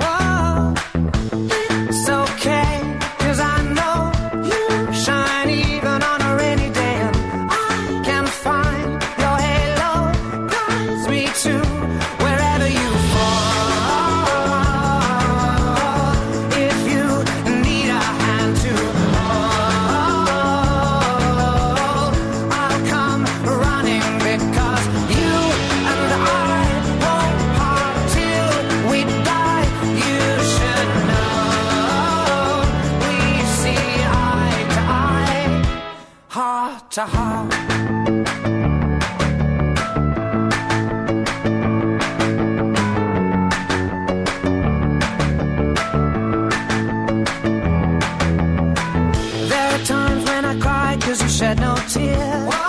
whoa, it's okay, 'cause I know you shine even on a rainy day, and I can find your halo guides me to wherever you fall. If you need a hand to hold, I'll come running, because you and I won't part till we die. You should know we see eye to eye, heart to heart. There are times when I cry 'cause you shed no tears.